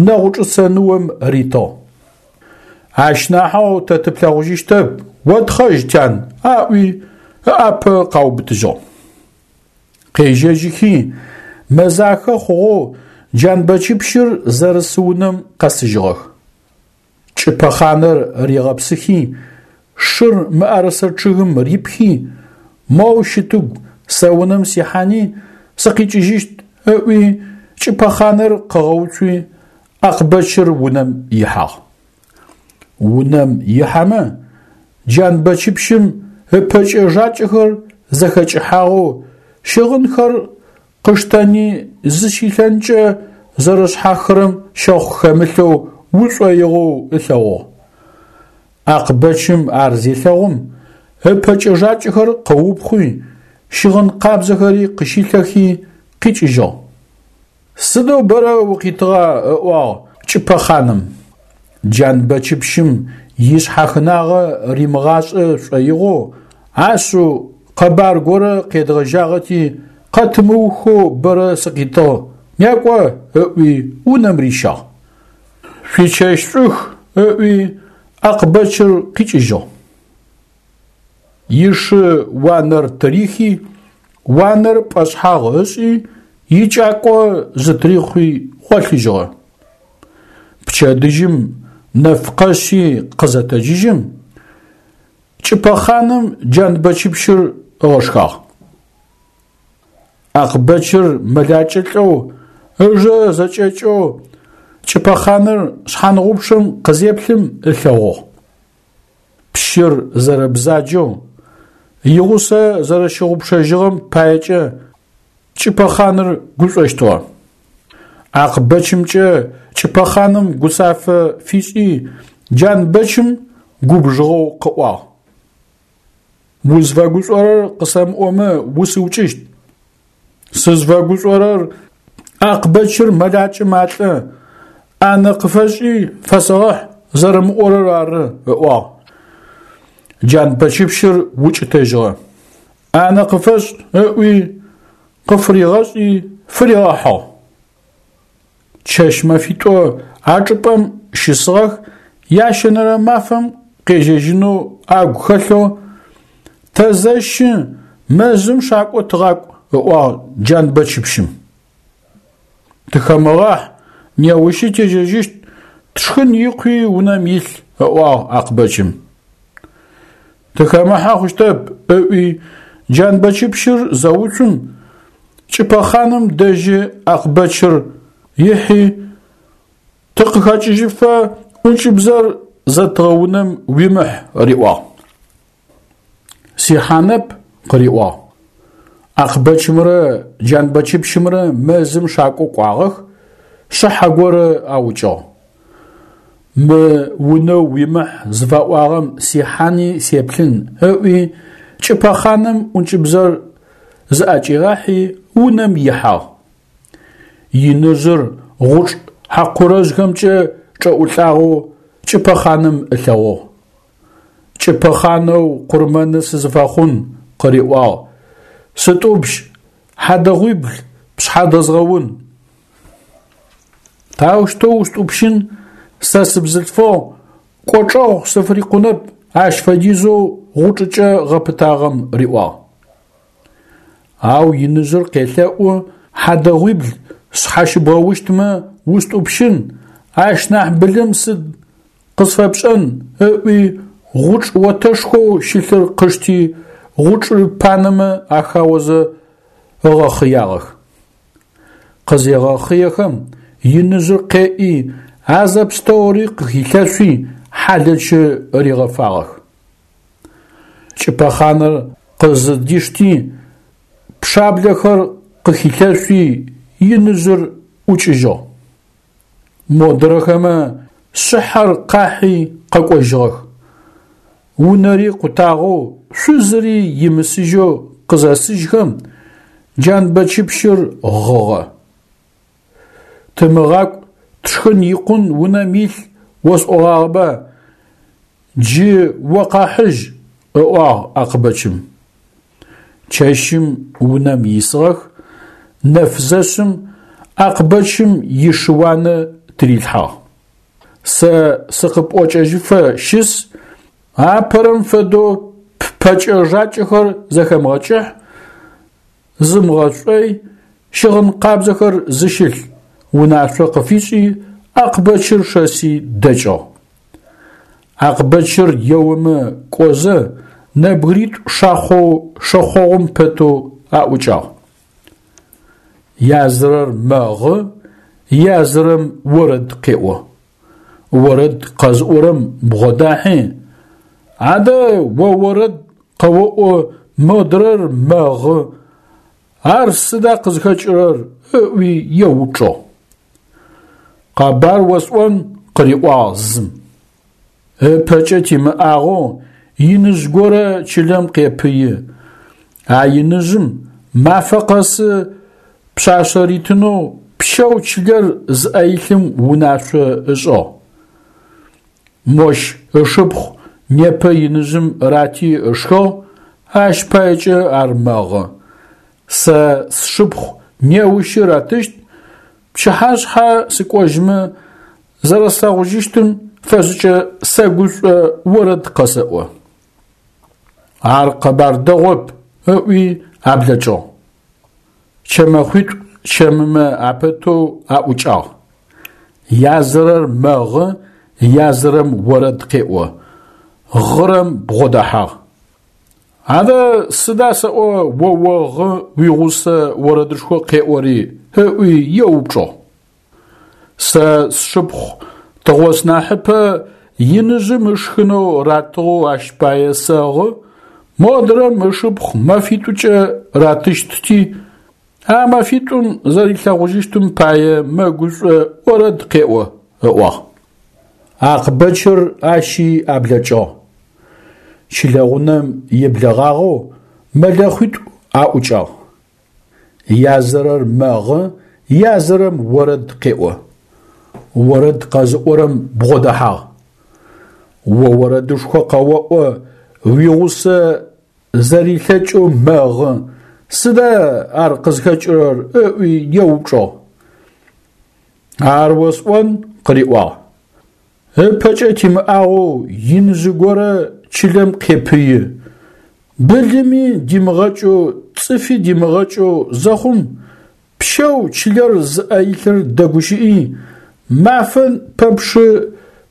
Нэгъучӏыцэ ныом ритыгъ. Ащ нахьэу тэ тыплъэгъужьыщтэп, отхъэжь, тян, аӏуи ыӏапэ къаубытыжьыгъ. Къежьэжьыхи, мэзахэ хъугъэу Джанбэчыпщыр зэрыс унэм къэсыжьыгъэх. Кӏыпэхъанэр ригъэпсыхи, шыр мыӏэрысэ чъыгым рипхи, моу щытыгу сэ унэм сихьани сыкъикӏыжьыщт ыӏуи, кӏыпэхъанэр къыгъэуцуи, Акъбэчыр унэм ихьагъ. Унэм ихьэмэ, Джанбэчыпщым ыпэкӏэ-жакӏэхэр зэхэкӏыхьагъэу, щыгъынхэр къыштэни зыщилъэнкӏэ зэрэшъхьахырэм щэхъу хэмылъэу ушӏоигъоу ылъэгъугъ. Акъбэчым ар зелъэгъум, ыпэкӏэ-жакӏэхэр къыупхъуи, щыгъын къабзэхэри къыщилъэхи къикӏыжьыгъ. Сыдэу бэрэ укъитыгъа, ыӏуагъ кӏыпэхъаным. Джанбэчыпщым ишъхьахынагъэ римыгъашӏэ шӏоигъоу ашъыу къэбар горэ къедгъэжьагъэти, къэтымыухэу бэрэ сыкъитыгъ, некӏо, ыӏуи унэм рищагъ. Шъуичэщ шӏух, ыӏуи Акъбэчыр къикӏыжьыгъ. Ишы уанэр тырихи, уанэр пӏэшъхьагъ ышӏи, икӏакӏо зытрихъуи гъолъыжьыгъэ. Пчэдыжьым нэф къэшъи къызэтэджыжьым, Кӏыпэхъаным Джанбэчыпщыр ыгъэшхагъ. Акъбэчыр мэлакӏэ лӏэу, ыжэ зэкӏэкӏэу Кӏыпэхъаныр шъхьангъупчъэм къызеплъым ылъэгъугъ. Пщыр зэрэбзаджэу, игъусэ зэрэщыгъупшэжьыгъэм паекӏэ Кӏыпэхъаныр гушӏощтыгъэ. Акъбэчымкӏэ Кӏыпэхъаным гуцафэ фишӏи, Джанбэчым губжыгъэу къыӏуагъ: Узфэгушӏорэр къысэмыӏомэ усыукӏыщт. Сызфэгушӏорэр Акъбэчыр мэлакӏэ малӏэ, ӏанэ къыфэшӏи фэсэгъэхь зэрэмыӏорэр ары, ыӏуагъ. Джанбэчыпщыр укӏытэжьыгъэ. ӏанэ къыфэшӏ ыӏуи къыфыригъэшӏи фыригъэхьыгъ. Чэщ-мэфитӏо а чӏыпӏэм щысыгъэх, ящэнэрэ мафэм къежьэжьынэу агу хэлъэу «Тэзэщы, мэзым шакӏо тыгъакӏу», ыӏуагъ Джанбэчыпщым. Тыхэмыгъахь, неущи тежьэжьыщт, тшхын икъуи унэм илъ, ыӏуагъ Акъбэчым. Тыхэмыхьэ хъущтэп, ыӏуи Джанбэчыпщыр зэуцум, Кӏыпэхъаным дэжьы Акъбэчыр ихьи, тыкъыхэкӏыжьыфэ ӏункӏыбзэр зэтыгъэ унэм уимыхь, риӏуагъ. Сихьанэп, къыриӏуагъ. Акъбэчымрэ Джанбэчыпщымрэ мэзым шакӏо кӏуагъэх, шъыхьэ горэ аукӏыгъ. Мы унэу уимыхь зыфаӏуагъэм сихьани сеплъын, ыӏуи Кӏыпэхъаным ӏункӏыбзэр зыӏэкӏигъахьи унэм ихьагъ. Иныжъыр гъучӏ хьакъурэжъхэмкӏэ чӏэӏулӏагъэу Кӏыпэхъаным ылъэгъугъ. Кӏыпэхъанэу къурмэны сызыфэхъун, къыриӏуагъ, сытӏупщ, хьадэгъуибл пшъхьэ дэзгъэун. Таущтэу устӏупщын, сэ сыбзылъфыгъ, кӏочӏэгъу сыфырикъунэп ащ фэдизэу гъучӏыкӏэ гъэпытагъэм, риӏуагъ. Ау иныжъыр къелъэӏу хьадэгъуибл сшъхьащыбгъэущтмэ устӏупщын, ащ нахь былым сыд къысфэпшӏэн, ыӏуи гъучӏ отэшхоу щылъыр къышти гъучӏыр панэмэ ахаозэ ыгъэхъыягъэх. Къызегъэхъыехэм иныжъыр къеӏи, а зэпстэури къыхилъэшъуи хьалэчы ригъэфагъэх. Кӏыпэхъаныр къызыдишти, пчъаблэхэр къыхилъэшъуи иныжъыр ӏукӏыжьыгъ. Модрэхэмэ шъыхьэр къахьи къэкӏожьыгъэх. Унэри къутагъэу, шъузыри имысыжьэу къызэсыжьхэм, Джанбэчыпщыр гъыгъэ. Тымыгъакӏу, тшхын икъун унэм илъ осӏогъагъэба, джы о къэхьыжь, ыӏуагъ Акъбэчым. Чэщым унэм исыгъэх, нэф зэшъым Акъбэчым ишыуанэ тырилъхьагъ. Сэ сыкъыпӏокӏэжьыфэ щыс, апэрэм фэдэу ппэкӏэ-жакӏэхэр зэхэмыгъэкӏыхь, зымыгъэшӏой, щыгъын къабзэхэр зыщылъ унашъо къыфишӏи, Акъбэчыр шэси дэкӏыгъ. Акъбэчыр еомэ кӏозэ нэбгыритӏу шахъоу шэхъогъум пэтэу аӏукӏагъ. Язырэр мэгъы, язырэм орэд къеӏо. Орэд къэзыӏорэм бгъодахьи, адэ о орэд къэоӏо, модрэр мэгъы, ар сыда къызхэкӏырэр, ыӏуи еупчӏыгъ. Къэбар осӏон, къыриӏуагъ зым. Ыпэкӏэ тимыӏагъэу иныжъ горэ чылэм къепыи. А иныжъым мафэ къэсы пшъашъэ ритынэу пщэу чылэр зыӏэ илъым унашъо ышӏыгъ. Мощ ышыпхъу непэ иныжъым рати ышхыгъ, ащ паекӏэ ар мэгъы. Сэ сшыпхъу неущы ратыщт, пчыхьашъхьэ сыкӏожьмэ зэрэслъэгъужьыщтым фэшӏкӏэ сэгушӏо орэд къэсэӏо. Ар къэбар дэгъоп, ыӏуи аблэкӏыгъ. Чэмэхъуитӏу чэмымэ апэтэу аӏукӏагъ. Язырэр мэгъы, язырэм орэд къеӏо. Гъырэм бгъодэхьагъ. Адэ сыда сэӏо о огъы уигъусэ орэдышхо къеӏори, ыӏуи еупчӏыгъ. Сэ сшыпхъу тыгъоснахьыпэ иныжъым ышхынэу ратыгъэу ащ пае сэгъы, модрэм ышыпхъу мэфитӏукӏэ ратыщтти, а мэфитӏум зэрилъэгъужьыщтым пае мэгушӏо орэд къеӏо, ыӏуагъ. Акъбэчыр ащи аблэкӏыгъ. Чылэгъунэм еблэгъагъэу мэлэхъуитӏу аӏукӏагъ. Язырэр мэгъы, язырэм орэд къеӏо. Орэд къэзыӏорэм бгъодэхьагъ. О орэдышхо къэоӏо, уигъусэ зэрилъэкӏэу мэгъы, сыда ар къызхэкӏырэр ыӏуи еупчӏыгъ. Ар осӏон къыриӏуагъ. Ыпэкӏэ тимыӏагъэу иныжъы горэ чылэм къепыи. Былыми димыгъэкӏэу, цӏыфи димыгъэкӏэу зэхъум, пщэу чылэр зыӏэ илъыр дэгущыӏи, мафэ пэпчъы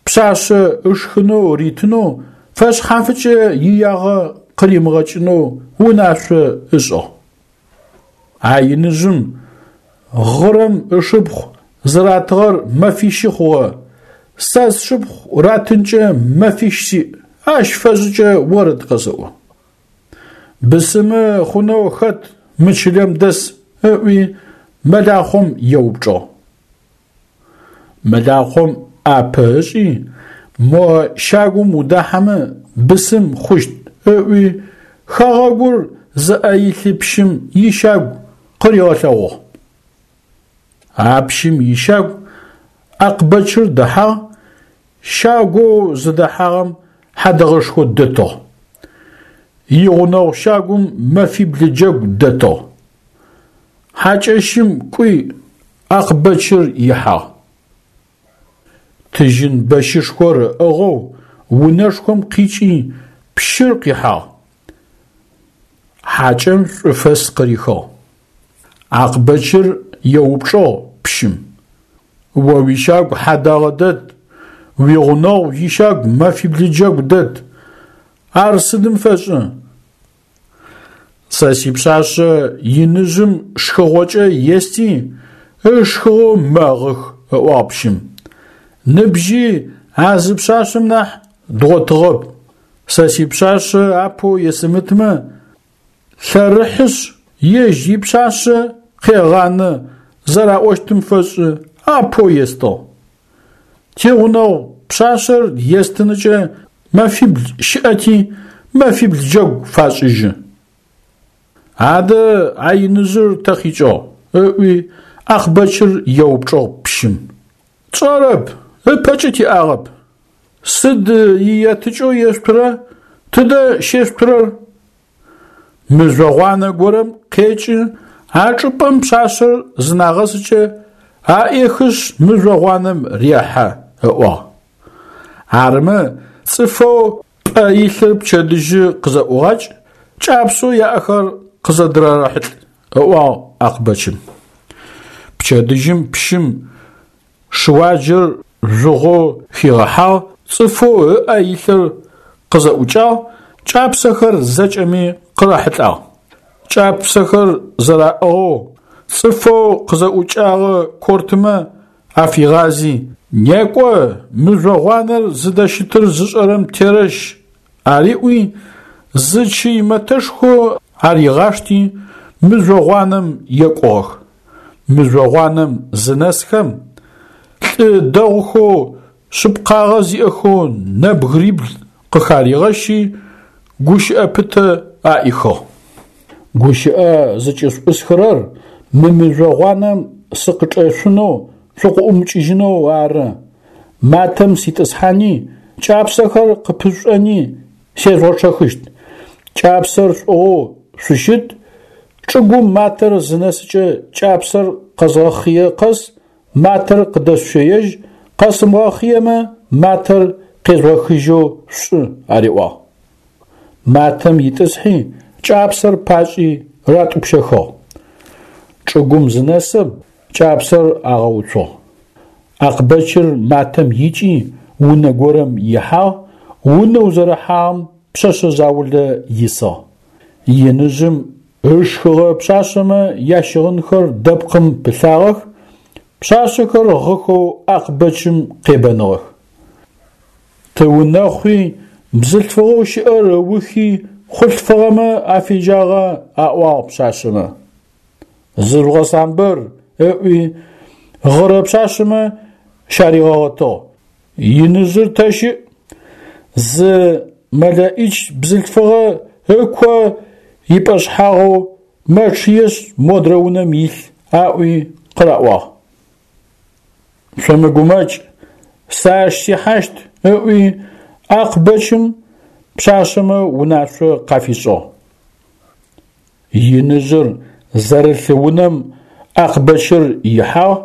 пшъашъэ ышхынэу ритынэу, фэшъхьафыкӏэ иягъэ къыримыгъэкӏынэу унашъо ышӏыгъ. А иныжъым гъырэм ышыпхъу зыратыгъэр мэфищы хъугъэ, сэ сшыпхъу ратынкӏэ мэфищ сиӏ, ащ фэшӏыкӏэ орэд къэсэӏо. Бысымы хъунэу хэт мы чылэм дэс ыӏуи мэлахъом еупчӏыгъ. Мэлахъом ӏапэ ышӏи, мо щагум удахьэмэ бысым хъущт ыӏуи хэгъэгур зыӏэ илъы пщым ищагу къыригъэлъэгъугъ. А пщым ищагу Акъбэчыр дэхьагъ, щагоу зыдэхьагъэм хьадэгъэшхо дэтыгъ. Игъунэгъу щагум мэфибл джэгу дэтыгъ. Хьакӏэщым кӏуи Акъбэчыр ихьагъ. Тыжьын бэщышхор ыӏыгъэу унэшхом къикӏи пщыр къихьагъ. Хьакӏэм шӏуфэс къырихыгъ. Акъбэчыр еупчӏыгъ пщым: О уищагу хьадагъэ дэт, уигъунэгъу ищагу мэфибл джэгу дэт. Ар сыдым фэшӏы? Сэ сипшъашъэ иныжъым шхыгъокӏэ ести, ышхыгъэу мэгъых, ыӏуагъ пщым. Ныбжьи а зы пшъашъэм нахь дгъотыгъэп. Сэ сипшъашъэ апэу есымытмэ, лъэрыхьышъ, ежь ипшъашъэ къегъанэ зэраӏощтым фэшӏы апэу естыгъ. Тигъунэгъу пшъашъэр естыныкӏэ мэфибл щыӏэти, мэфибл джэгу фашӏыжьы. Адэ а иныжъыр тэ къикӏыгъ? Ыӏуи Акъбэчыр еупчӏыгъ пщым. Тшӏэрэп, ыпэкӏэ тиӏагъэп. Сыд иетыкӏэу ешъутырэ, тыдэ щешъутырэр? Мыжъо гъуанэ горэм къекӏы, а чӏыпӏэм пшъашъэр зынагъэсыкӏэ аӏехышъ мыжъо гъуанэм рехьэ, ыӏуагъ. Арымэ цӏыфэу пӏэ илъыр пчэдыжьы къызэӏугъакӏ, кӏапсэу яӏэхэр къызэдырэрэхьылӏ, ыӏуагъ Акъбэчым. Пчэдыжьым пщым шыуаджэр жъугъэу хигъэхьагъ, цӏыфэу ыӏэ илъыр къызэӏукӏагъ, кӏапсэхэр зэкӏэми къырахьылӏагъ. Кӏапсэхэр зэраӏыгъэу цӏыфэу къызэӏукӏагъэ кортымэ афигъази, некӏо, мыжъо гъуанэр зыдэщытыр зышӏэрэм терэщ ариӏуи, зы чый мэтэшхо аригъашти, мыжъо гъуанэм екӏугъэх. Мыжъо гъуанэм зынэсхэм, лӏы дэгъухэу шъыпкъагъэ зиӏэхэу нэбгырибл къыхаригъэщи, гущыӏэ пытэ аӏихыгъ. Гущыӏэ зыкӏышъуӏысхырэр мы мыжъо гъуанэм сыкъычӏэшъунэу шъукъыӏумыкӏыжьынэу ары. Матэм ситӏысхьани кӏапсэхэр къыпышӏони сежъугъэчъэхыщт. Кӏапсэр шъуӏыгъэу шъущыт, чӏыгум матэр зынэсыкӏэ кӏапсэр къэзгъэхъые къэс матэр къыдэшъущэежь, къэсымыгъэхъыемэ матэр къежъугъэхыжьэу шъушӏы, ариӏуагъ. Матэм итӏысхьи кӏапсэр пашӏи ратӏупщэхыгъ. Чӏыгум зынэсым кӏапсэр агъэуцугъ. Акъбэчыр матэм икӏи унэ горэм ихьагъ, унэу зэрыхьагъэм пшъэшъэ заулэ исыгъ. Иныжъым ышхыгъэ пшъашъэмэ ящыгъынхэр дэпкъым пылъагъэх, пшъашъэхэр гъыхэу Акъбэчым къебэныгъэх. Тыунэхъуи, бзылъфыгъэу щыӏэр ыухи хъулъфыгъэмэ афежьагъа, аӏуагъ пшъашъэмэ. Зыжъугъэсамбыр, ыӏуи гъырэ пшъашъэмэ щаригъэгъэтыгъ. Иныжъыр тэ щыӏ? Зы мэлэӏич бзылъфыгъэ ыко ипӏэшъхьагъэу мэчъыешъ модрэ унэм илъ, аӏуи къыраӏуагъ. Шъумыгумэкӏ, сэ ащ сихьащт, ыӏуи Акъбэчым пшъашъэмэ унашъо къафишӏыгъ. Иныжъыр зэрылъ унэм Акъбэчыр ихьагъ,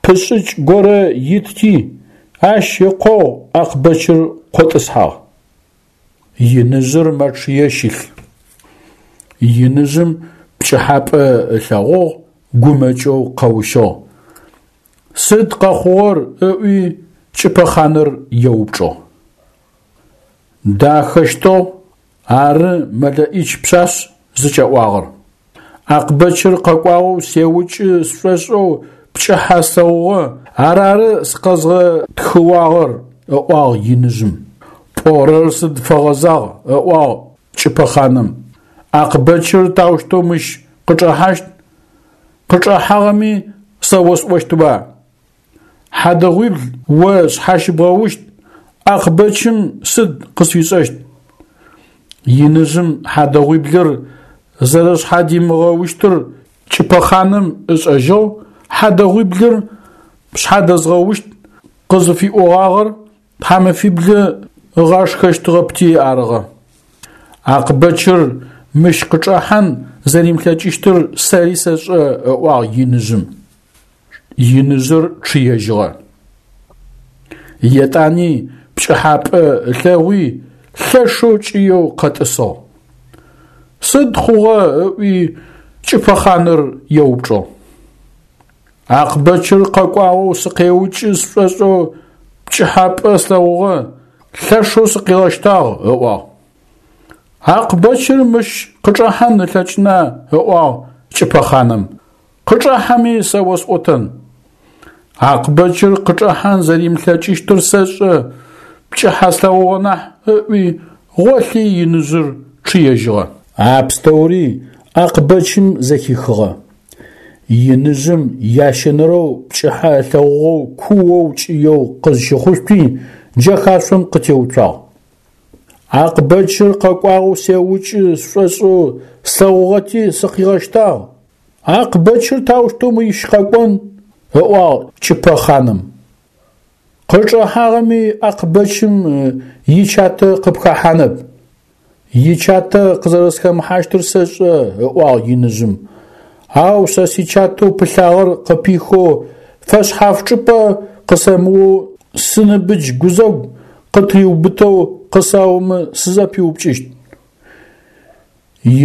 пышӏыкӏ горэ итти, ащ ыкъогъу Акъбэчыр къотӏысхьагъ. Иныжъыр мэчъые щылъ. Иныжъым пкӏыхьапӏэ ылъэгъугъ, гумэкӏэу къэущыгъ. Сыд къэхъугъэр ыӏуи кӏыпэхъаныр еупчӏыгъ. Дахэщтыгъ, ары мэлэӏич пшъашъ зыкӏэӏуагъэр. Акъбэчыр къэкӏуагъэу сеукӏы сшӏошӏэу пкӏыхьэ слъэгъугъэ, арары сыкъэзгъэтхыуагъэр, ыӏуагъ иныжъым. Пӏорэр сыд фэгъэзагъ, ыӏуагъ кӏыпэхъаным. Акъбэчыр таущтэу мыщ къычӏэхьащт? Къычӏэхьагъэми сэ осӏощтба? Хьадэгъуибл о шъхьащыбгъэущт, Акъбэчым сыд къысфишӏэщт? Иныжъым хьадэгъуиблыр зэрэшъхьадимыгъэущтыр кӏыпэхъаным ышӏэжьыгъ, хьадэгъуиблыр пшъхьадэзгъэущт къызыфиӏогъагъэр тхьамэфиблы ыгъашхэщтыгъэпти арыгъэ. Акъбэчыр мыщ къычӏэхьан зэримылъэкӏыщтыр сэри сэшӏэ, ыӏуагъ иныжъым. Иныжъыр чъыежьыгъэ. Етӏани пкӏыхьапӏэ ылъэгъуи лъэшэу кӏыеу къэтӏысыгъ. Сыд хъугъэ ыӏуи кӏыпэхъаныр еупчӏыгъ. Акъбэчыр къэкӏуагъэу сыкъеукӏы сшӏошӏэу пкӏыхьапӏэ слъэгъугъэ, лъэшэу сыкъигъэщтагъ, ыӏуагъ. Акъбэчыр мыщ къычӏэхьан ылъэкӏына, ыӏуагъ кӏыпэхъаным. Къычӏэхьэми сэ осӏотэн. Акъбэчыр къычӏэхьан зэримылъэкӏыщтыр сэшӏэ, пкӏыхьэ слъэгъугъэ нахь, ыӏуи гъолъи иныжъыр чъыежьыгъэ. А пстэури Акъбэчым зэхихыгъэ. Иныжъым ящэнэрэу пкӏыхьэ ылъэгъугъэу куоу кӏыеу къызщыхъушъуи джэхашъом къытеуцуагъ. Акъбэчыр къэкӏуагъэу сеукӏы сшӏошӏэу слъэгъугъэти сыкъигъэщтагъ. Акъбэчыр таущтэу мыщ къэкӏон, ыӏуагъ кӏыпэхъаным. Къычӏэхьагъэми Акъбэчым ичатэ къыпхэхьанэп. Ичатэ къызэрэсхэмыхьащтыр сэшӏэ, ыӏуагъ иныжъым. Ау сэ сичатэу пылъагъэр къыпихэу фэшъхьаф чӏыпӏэ къысэмыоу сыныбыдж гузэгу къытыриубытэу къысаомэ сызэпиупкӏыщт.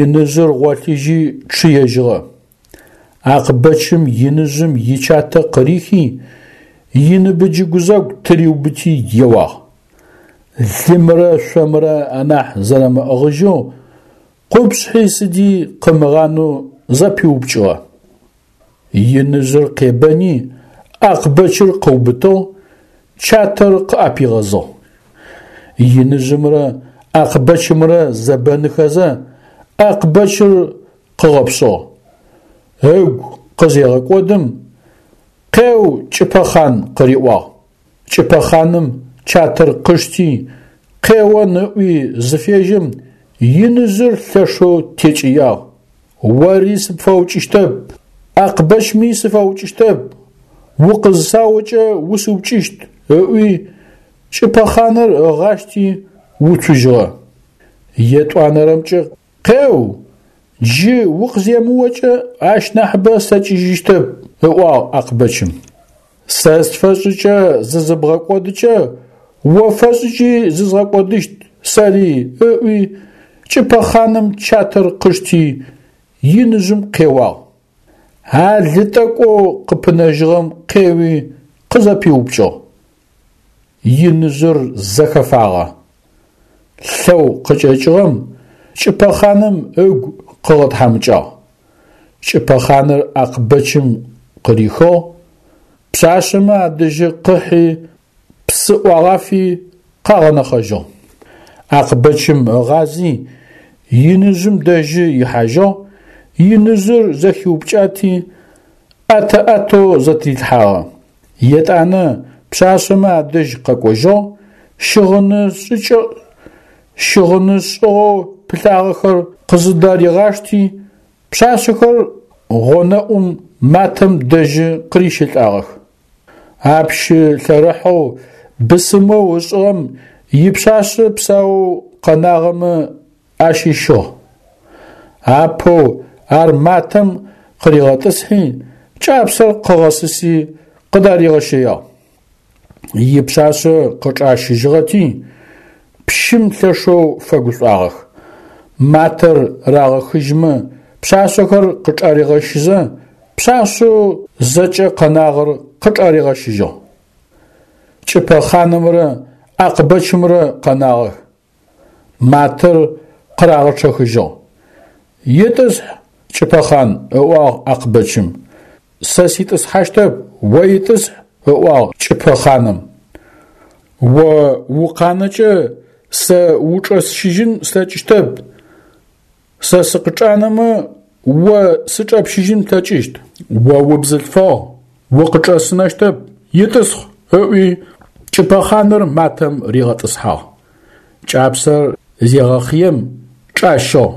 Иныжъыр гъолъыжьи чъыежьыгъэ. Акъбэчым иныжъым ичатэ къырихи иныбыдж гузэгу тыриубыти еуагъ. Лымрэ шъомрэ анахь зэрэмыӏыгъыжьэу къупшъхьи сыди къымыгъанэу зэпиупкӏыгъэ. Иныжъыр къебэни Акъбэчыр къыубытыгъ, чатэр къыӏэпигъэзыгъ. Иныжъымрэ Акъбэчымрэ зэбэныхэзэ Акъбэчыр къыгъэпшъыгъ. Ыгу къызегъэкӏодым, къеу кӏыпэхъан къыриӏуагъ. Кӏыпэхъаным чатэр къышти, къеон ыӏуи зыфежьэм, иныжъыр лъэшэу текӏыягъ. Ори сыпфэукӏыщтэп, Акъбэчми сыфэукӏыщтэп, укъызысаокӏэ усыукӏыщт, ыӏуи Кӏыпэхъаныр ыгъащти уцужьыгъэ. Етӏуанэрэмкӏэ къеу, джы укъыземыокӏэ ащ нахьыбэ слъэкӏыжьыщтэп, ыӏуагъ Акъбэчым. Сэ сфэшӏыкӏэ зызыбгъэкӏодыкӏэ, о фэшӏыкӏи зызгъэкӏодыщт сэри, ыӏуи Кӏыпэхъаным чатэр къышти иныжъым къеуагъ. А лы тӏэкӏоу къыпынэжьыгъэм къеуи къызэпиупкӏыгъ. Иныжъыр зэхэфагъэ. Лъэу къыкӏэкӏыгъэм Кӏыпэхъаным ыгу къыгъэтхьамыкӏагъ. Кӏыпэхъаныр Акъбэчым къырихыгъ, пшъашъэмэ адэжьы къыхьи псы ӏуагъафи къагъэнэхъэжьыгъ. Акъбэчым ыгъази иныжъым дэжьы ихьажьыгъ, иныжъыр зэхиупкӏати ӏэтэ-ӏэтэу зэтырилъхьагъэ. Етӏанэ пшъашъэмэ адэжь къэкӏожьыгъ, щыгъыны шӏыкӏэ щыгъыны шӏыгъэу пылъагъэхэр къызыдаригъашти, пшъашъэхэр гъонэӏум матэм дэжьы къырищэлӏагъэх. А пщы лъэрыхьэу бысымэу ышӏыгъэм ипшъашъэ псаоу къэнагъэмэ ащыщыгъ. Апэу ар матэм къыригъэтӏысхьи, кӏапсэр къыгъэсыси къыдаригъэщэягъ. Ипшъашъэ къычӏащыжьыгъэти, пщым лъэшэу фэгушӏуагъэх. Матэр рагъэхыжьмэ, пшъашъэхэр къычӏаригъэщызэ, пшъашъэу зэкӏэ къэнагъэр къычӏаригъэщыжьыгъ. Кӏыпэхъанымрэ Акъбэчымрэ къэнагъэх. Матэр къырагъэчъэхыжьыгъ. Итӏысхь, Кӏыпэхъан, ыӏуагъ Акъбэчым. Сэ ситӏысхьащтэп, о итӏысхь, ыӏуагъ Кӏыпэхъаным. О укъанэкӏэ сэ учӏэсщыжьын слъэкӏыщтэп, сэ сыкъычӏанэмэ о сычӏэпщыжьын плъэкӏыщт. О убзылъфыгъ, укъычӏэсынэщтэп, итӏысхь, ыӏуи Кӏыпэхъаныр матэм ригъэтӏысхьагъ. Кӏапсэр зегъэхъыем чӏащыгъ.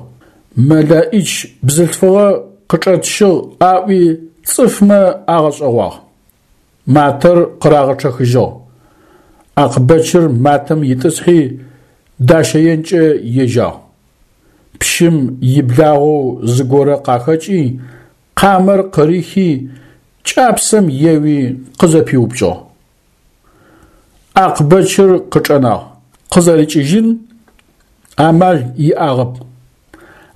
Мэлэӏич бзылъфыгъэ къычӏэтщыгъ аӏуи цӏыфмэ агъэшӏэгъуагъ. Матэр къырагъэчъэхыжьыгъ. Акъбэчыр матэм итӏысхьи дащэенкӏэ ежьагъ. Пщым иблагъэу зыгорэ къахэкӏи, къамэр къырихи, кӏапсэм еуи къызэпиупкӏыгъ. Акъбэчыр къычӏэнагъ, къызэрикӏыжьын амал иӏагъэп.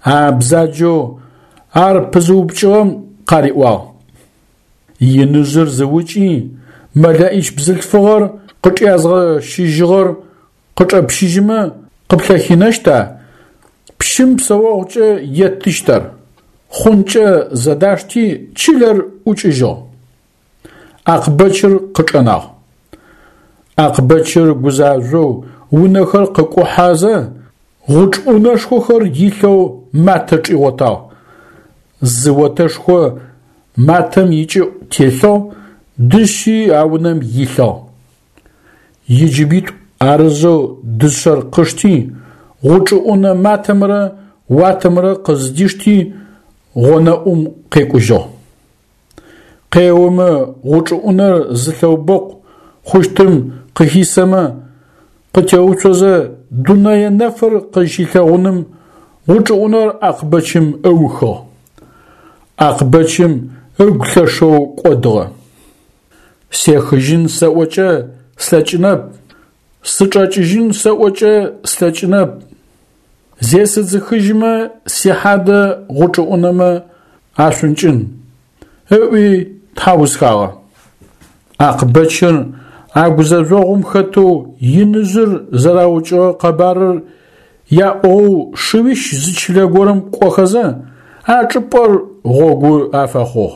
А бзаджэу ар пызыупкӏыгъэм къариӏуагъ: Иныжъыр зыукӏи, мэлэӏич бзылъфыгъэр къычӏязгъэщыжьыгъэр къычӏэпщыжьымэ къыплъэхинэщта? Пщым псэогъукӏэ еттыщт ар. Хъункӏэ зэдашти чылэр ӏукӏыжьыгъ. Акъбэчыр къычӏэнагъ. Акъбэчыр гузажъоу унэхэр къыкӏухьэзэ, гъучӏ ӏунэшхохэр илъэу матэ чӏигъотагъ. Зы отэшхо матэм икӏыӏу телъыгъ, дышъи а унэм илъыгъ. Иджыбитӏу арызэу дышъэр къышти, гъучӏыӏунэ матэмрэ уатэмрэ къыздишти гъонэӏум къекӏужьыгъ. Къеомэ гъучӏыӏунэр зы лъэубэкъу хъущтым къыхисэмэ, къытеуцозэ дунэе нэфыр къызщилъэгъуным гъучӏыӏунэр Акъбэчым ыухыгъ. Акъбэчым ыгу лъэшэу кӏодыгъэ. Сехыжьын сэӏокӏэ слъэкӏынэп, сычӏэкӏыжьын сэӏокӏэ слъэкӏынэп. Зесыдзыхыжьымэ сихьадэ гъучӏыӏунэмэ ашъункӏын, ыӏуи тхьаусхагъэ. Акъбэчыр а гузэжъогъум хэтэу иныжъыр зэраукӏыгъэ къэбарыр яӏугъэу шыуищ зы чылэ горэм кӏохэзэ, а чӏыпӏэр гъогу афэхъугъ.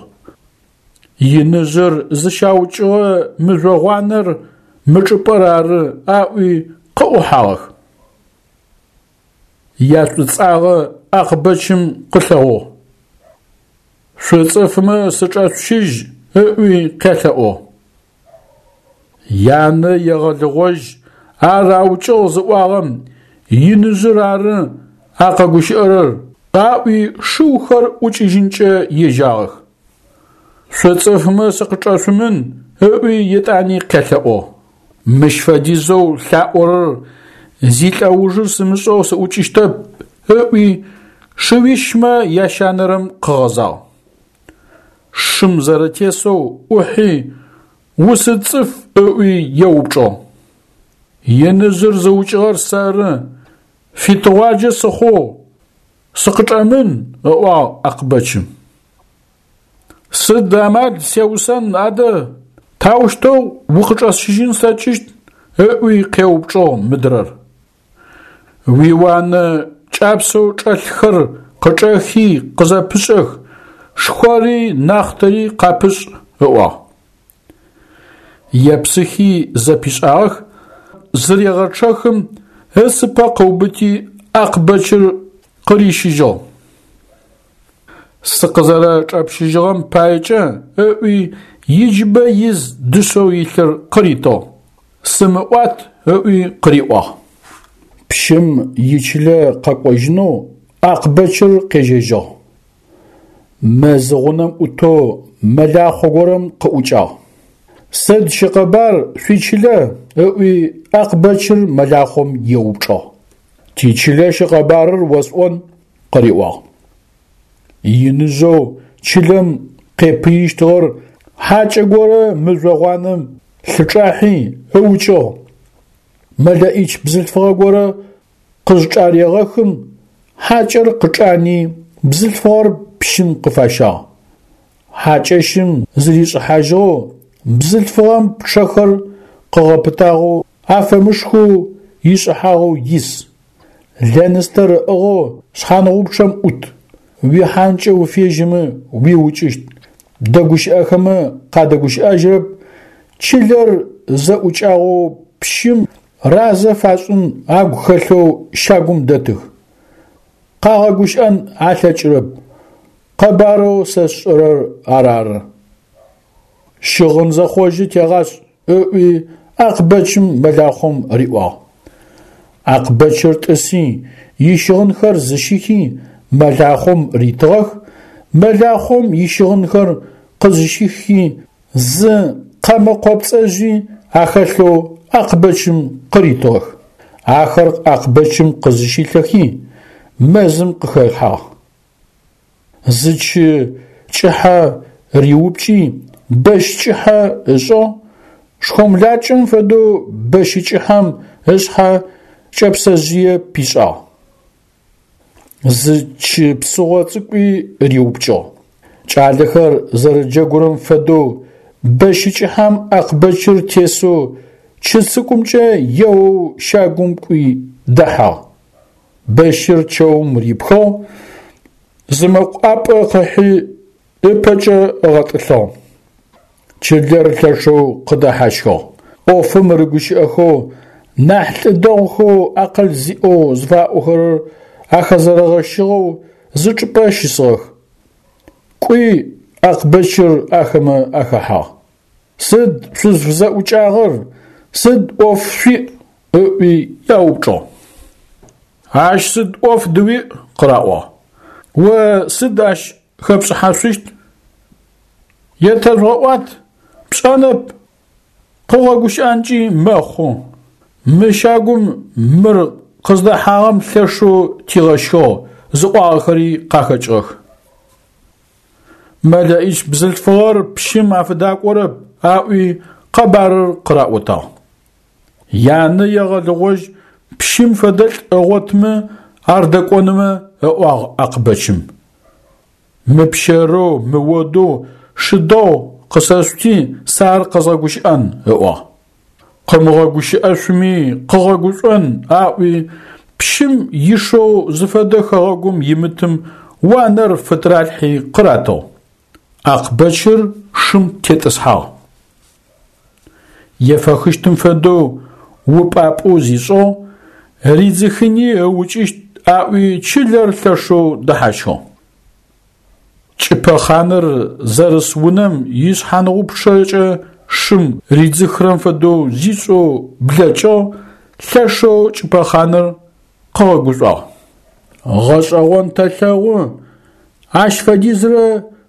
Иныжъыр зыщаукӏыгъэ мыжъогъуанэр мы чӏыпӏэр ары аӏуи къыӏухьагъэх. Яшӏуцӏагъэ Акъбэчым къылъэгъугъ. Шъуцӏыфмэ сычӏэшъущыжь ыӏуи къялъэӏугъ. Янэ егъэлыгъожь ар аукӏыгъ зыӏуагъэм иныжъыр ары а къэгущыӏэрэр аӏуи шыухэр ӏукӏыжьынкӏэ ежьагъэх. Шъуцӏыфмэ сыкъычӏэшъумын ыӏуи етӏани къялъэӏугъ. Мыщ фэдизэу лъаӏорэр зилӏэужыр сымышӏэу сыӏукӏыщтэп, ыӏуи шыуищмэ ящанэрэм къыгъэзагъ. Шым зэрэтесэу ӏухьи «Усыд цӏыф?» ыӏуи еупчӏыгъ. Иныжъыр зыукӏыгъэр сэры, фитыгъуаджэ сыхъугъ, сыкъычӏэмын, ыӏуагъ Акъбэчым. Сыд амал сеусэн адэ, таущтэу укъычӏэсщыжьын слъэкӏыщт? Ыӏуи къеупчӏыгъ мыдрэр. Уиуанэ кӏапсэу чӏэлъхэр къычӏэхи къызэпышӏэх, шхъори нахътэри къапышӏ, ыӏуагъ. Епсыхи зэпишӏагъэх, зырегъэчъэхым ыцыпэ къыубыти Акъбэчыр къырищыжьыгъ. Сыкъызэрэчӏэпщыжьыгъэм паекӏэ ыӏуи иджыбэ из дышъэу илъыр къыритыгъ. Сымыӏуат ыӏуи къыриӏуагъ. Пщым ичылэ къэкӏожьынэу Акъбэчыр къежьэжьыгъ. Мэз гъунэм ӏутэу мэлахъо горэм къыӏукӏагъ. Сыд щыкъэбар шъуичылэ? Ыӏуи Акъбэчыр мэлахъом еупчӏыгъ. Тичылэ щыкъэбарыр осӏон, къыриӏуагъ. Иныжъэу чылэм къепыищтыгъэр хьакӏэ горэ мыжъо гъуанэм лъычӏахьи ыукӏыгъ. Мэлэӏич бзылъфыгъэ горэ къызчӏарегъэхым, хьакӏэр къычӏани бзылъфыгъэр пщым къыфащагъ. Хьакӏэщым зыришӏыхьажьыгъэу бзылъфыгъэм пчъэхэр къыгъэпытагъэу афэмышхэу ишӏыхьагъэу ис. Лэныстэр ыӏыгъэу шъхьангъупчъэм ӏут. Уихьанкӏэ уфежьэмэ уиукӏыщт, дэгущыӏэхэмэ къадэгущыӏэжьырэп, чылэр зэӏукӏагъэу пщым разэ фашӏын агу хэлъэу щагум дэтых. Къагъэгущыӏэн алъэкӏырэп. Къэбарэу сэ сшӏэрэр арары. Щыгъын зэхъожьы тегъашӏ, ыӏуи Акъбэчым мэлахъом риӏуагъ. Акъбэчыр тӏыси ищыгъынхэр зыщихи мэлахъом ритыгъэх, мэлахъом ищыгъынхэр къызыщихи зы къэмэ къопцӏэжъи ахэлъэу Акъбэчым къыритыгъэх. Ахэр Акъбэчым къызыщилъэхи мэзым къыхэхьагъ. Зы чы кӏыхьэ риупкӏи бэщ кӏыхьэ ышӏыгъ, шхомлакӏэм фэдэу бэщы кӏыхьэм ышъхьэ кӏэпсэжъые пишӏагъ. Зы чы псыгъо цӏыкӏуи риупкӏыгъ. Кӏалэхэр зэрэджэгурэм фэдэу бэщы кӏыхьэм Акъбэчыр тесэу чы цӏыкӏумкӏэ еоу щагум кӏуи дэхьагъ. Бэщыр чэум рипхыгъ, зы мэкъу ӏапӏэ къыхьи ыпэкӏэ ыгъэтӏылъыгъ. Чылэр лъэшэу къыдэхьащхыгъ. ӏофым рыгущыӏэхэу, нахь лӏы дэгъухэу акъыл зиӏэу зыфаӏохэрэр ахэзэрэгъэщыгъэу зы чӏыпӏэ щысыгъэх. Кӏуи Акъбэчыр ахэмэ ахэхьагъ. Сыд шъузфызэӏукӏагъэр, сыд ӏоф шъуиӏ? Ыӏуи яупчӏыгъ. Ащ сыд ӏоф дыуиӏ? Къыраӏуагъ. О сыд ащ хэпшӏыхьашъущт? Етэжъугъэӏуат, пшӏэнэп, къыгъэгущыӏэнкӏи мэхъу. Мы щагум мыр къыздэхьагъэм лъэшэу тигъэщхыгъ зыӏуагъэхэри къахэкӏыгъэх. Мэлэӏич бзылъфыгъэр пщым афыдакӏорэп аӏуи къэбарыр къыраӏотагъ. Янэ егъэлыгъожь пщым фэдэлӏ ыгъотмэ ар дэкӏонымэ, ыӏуагъ Акъбэчым. Мыпщэрэу, мыодэу шы дэгъу къысэшъути, сэ ар къэзгъэгущыӏэн, ыӏуагъ. Къымыгъэгущыӏэшъуми къыгъэгушӏон аӏуи пщым ишэу зыфэдэ хэгъэгум имытым уанэр фытыралъхьи къыратыгъ. Акъбэчыр шым тетӏысхьагъ. Ефэхыщтым фэдэу упӏапӏэу зишӏыгъ, ридзыхыни ыукӏыщт аӏуи чылэр лъэшэу дэхьащхыгъ. Кӏыпэ хъаныр зэрыс унэм ишъхьангъупчъэкӏэ шым ридзыхырэм фэдэу зишӏэу блэкӏыгъ, лъэшэу кӏыпэ хъаныр къыгъэгушӏуагъ. Гъэшӏэгъон тэлъэгъу, ащ фэдизрэ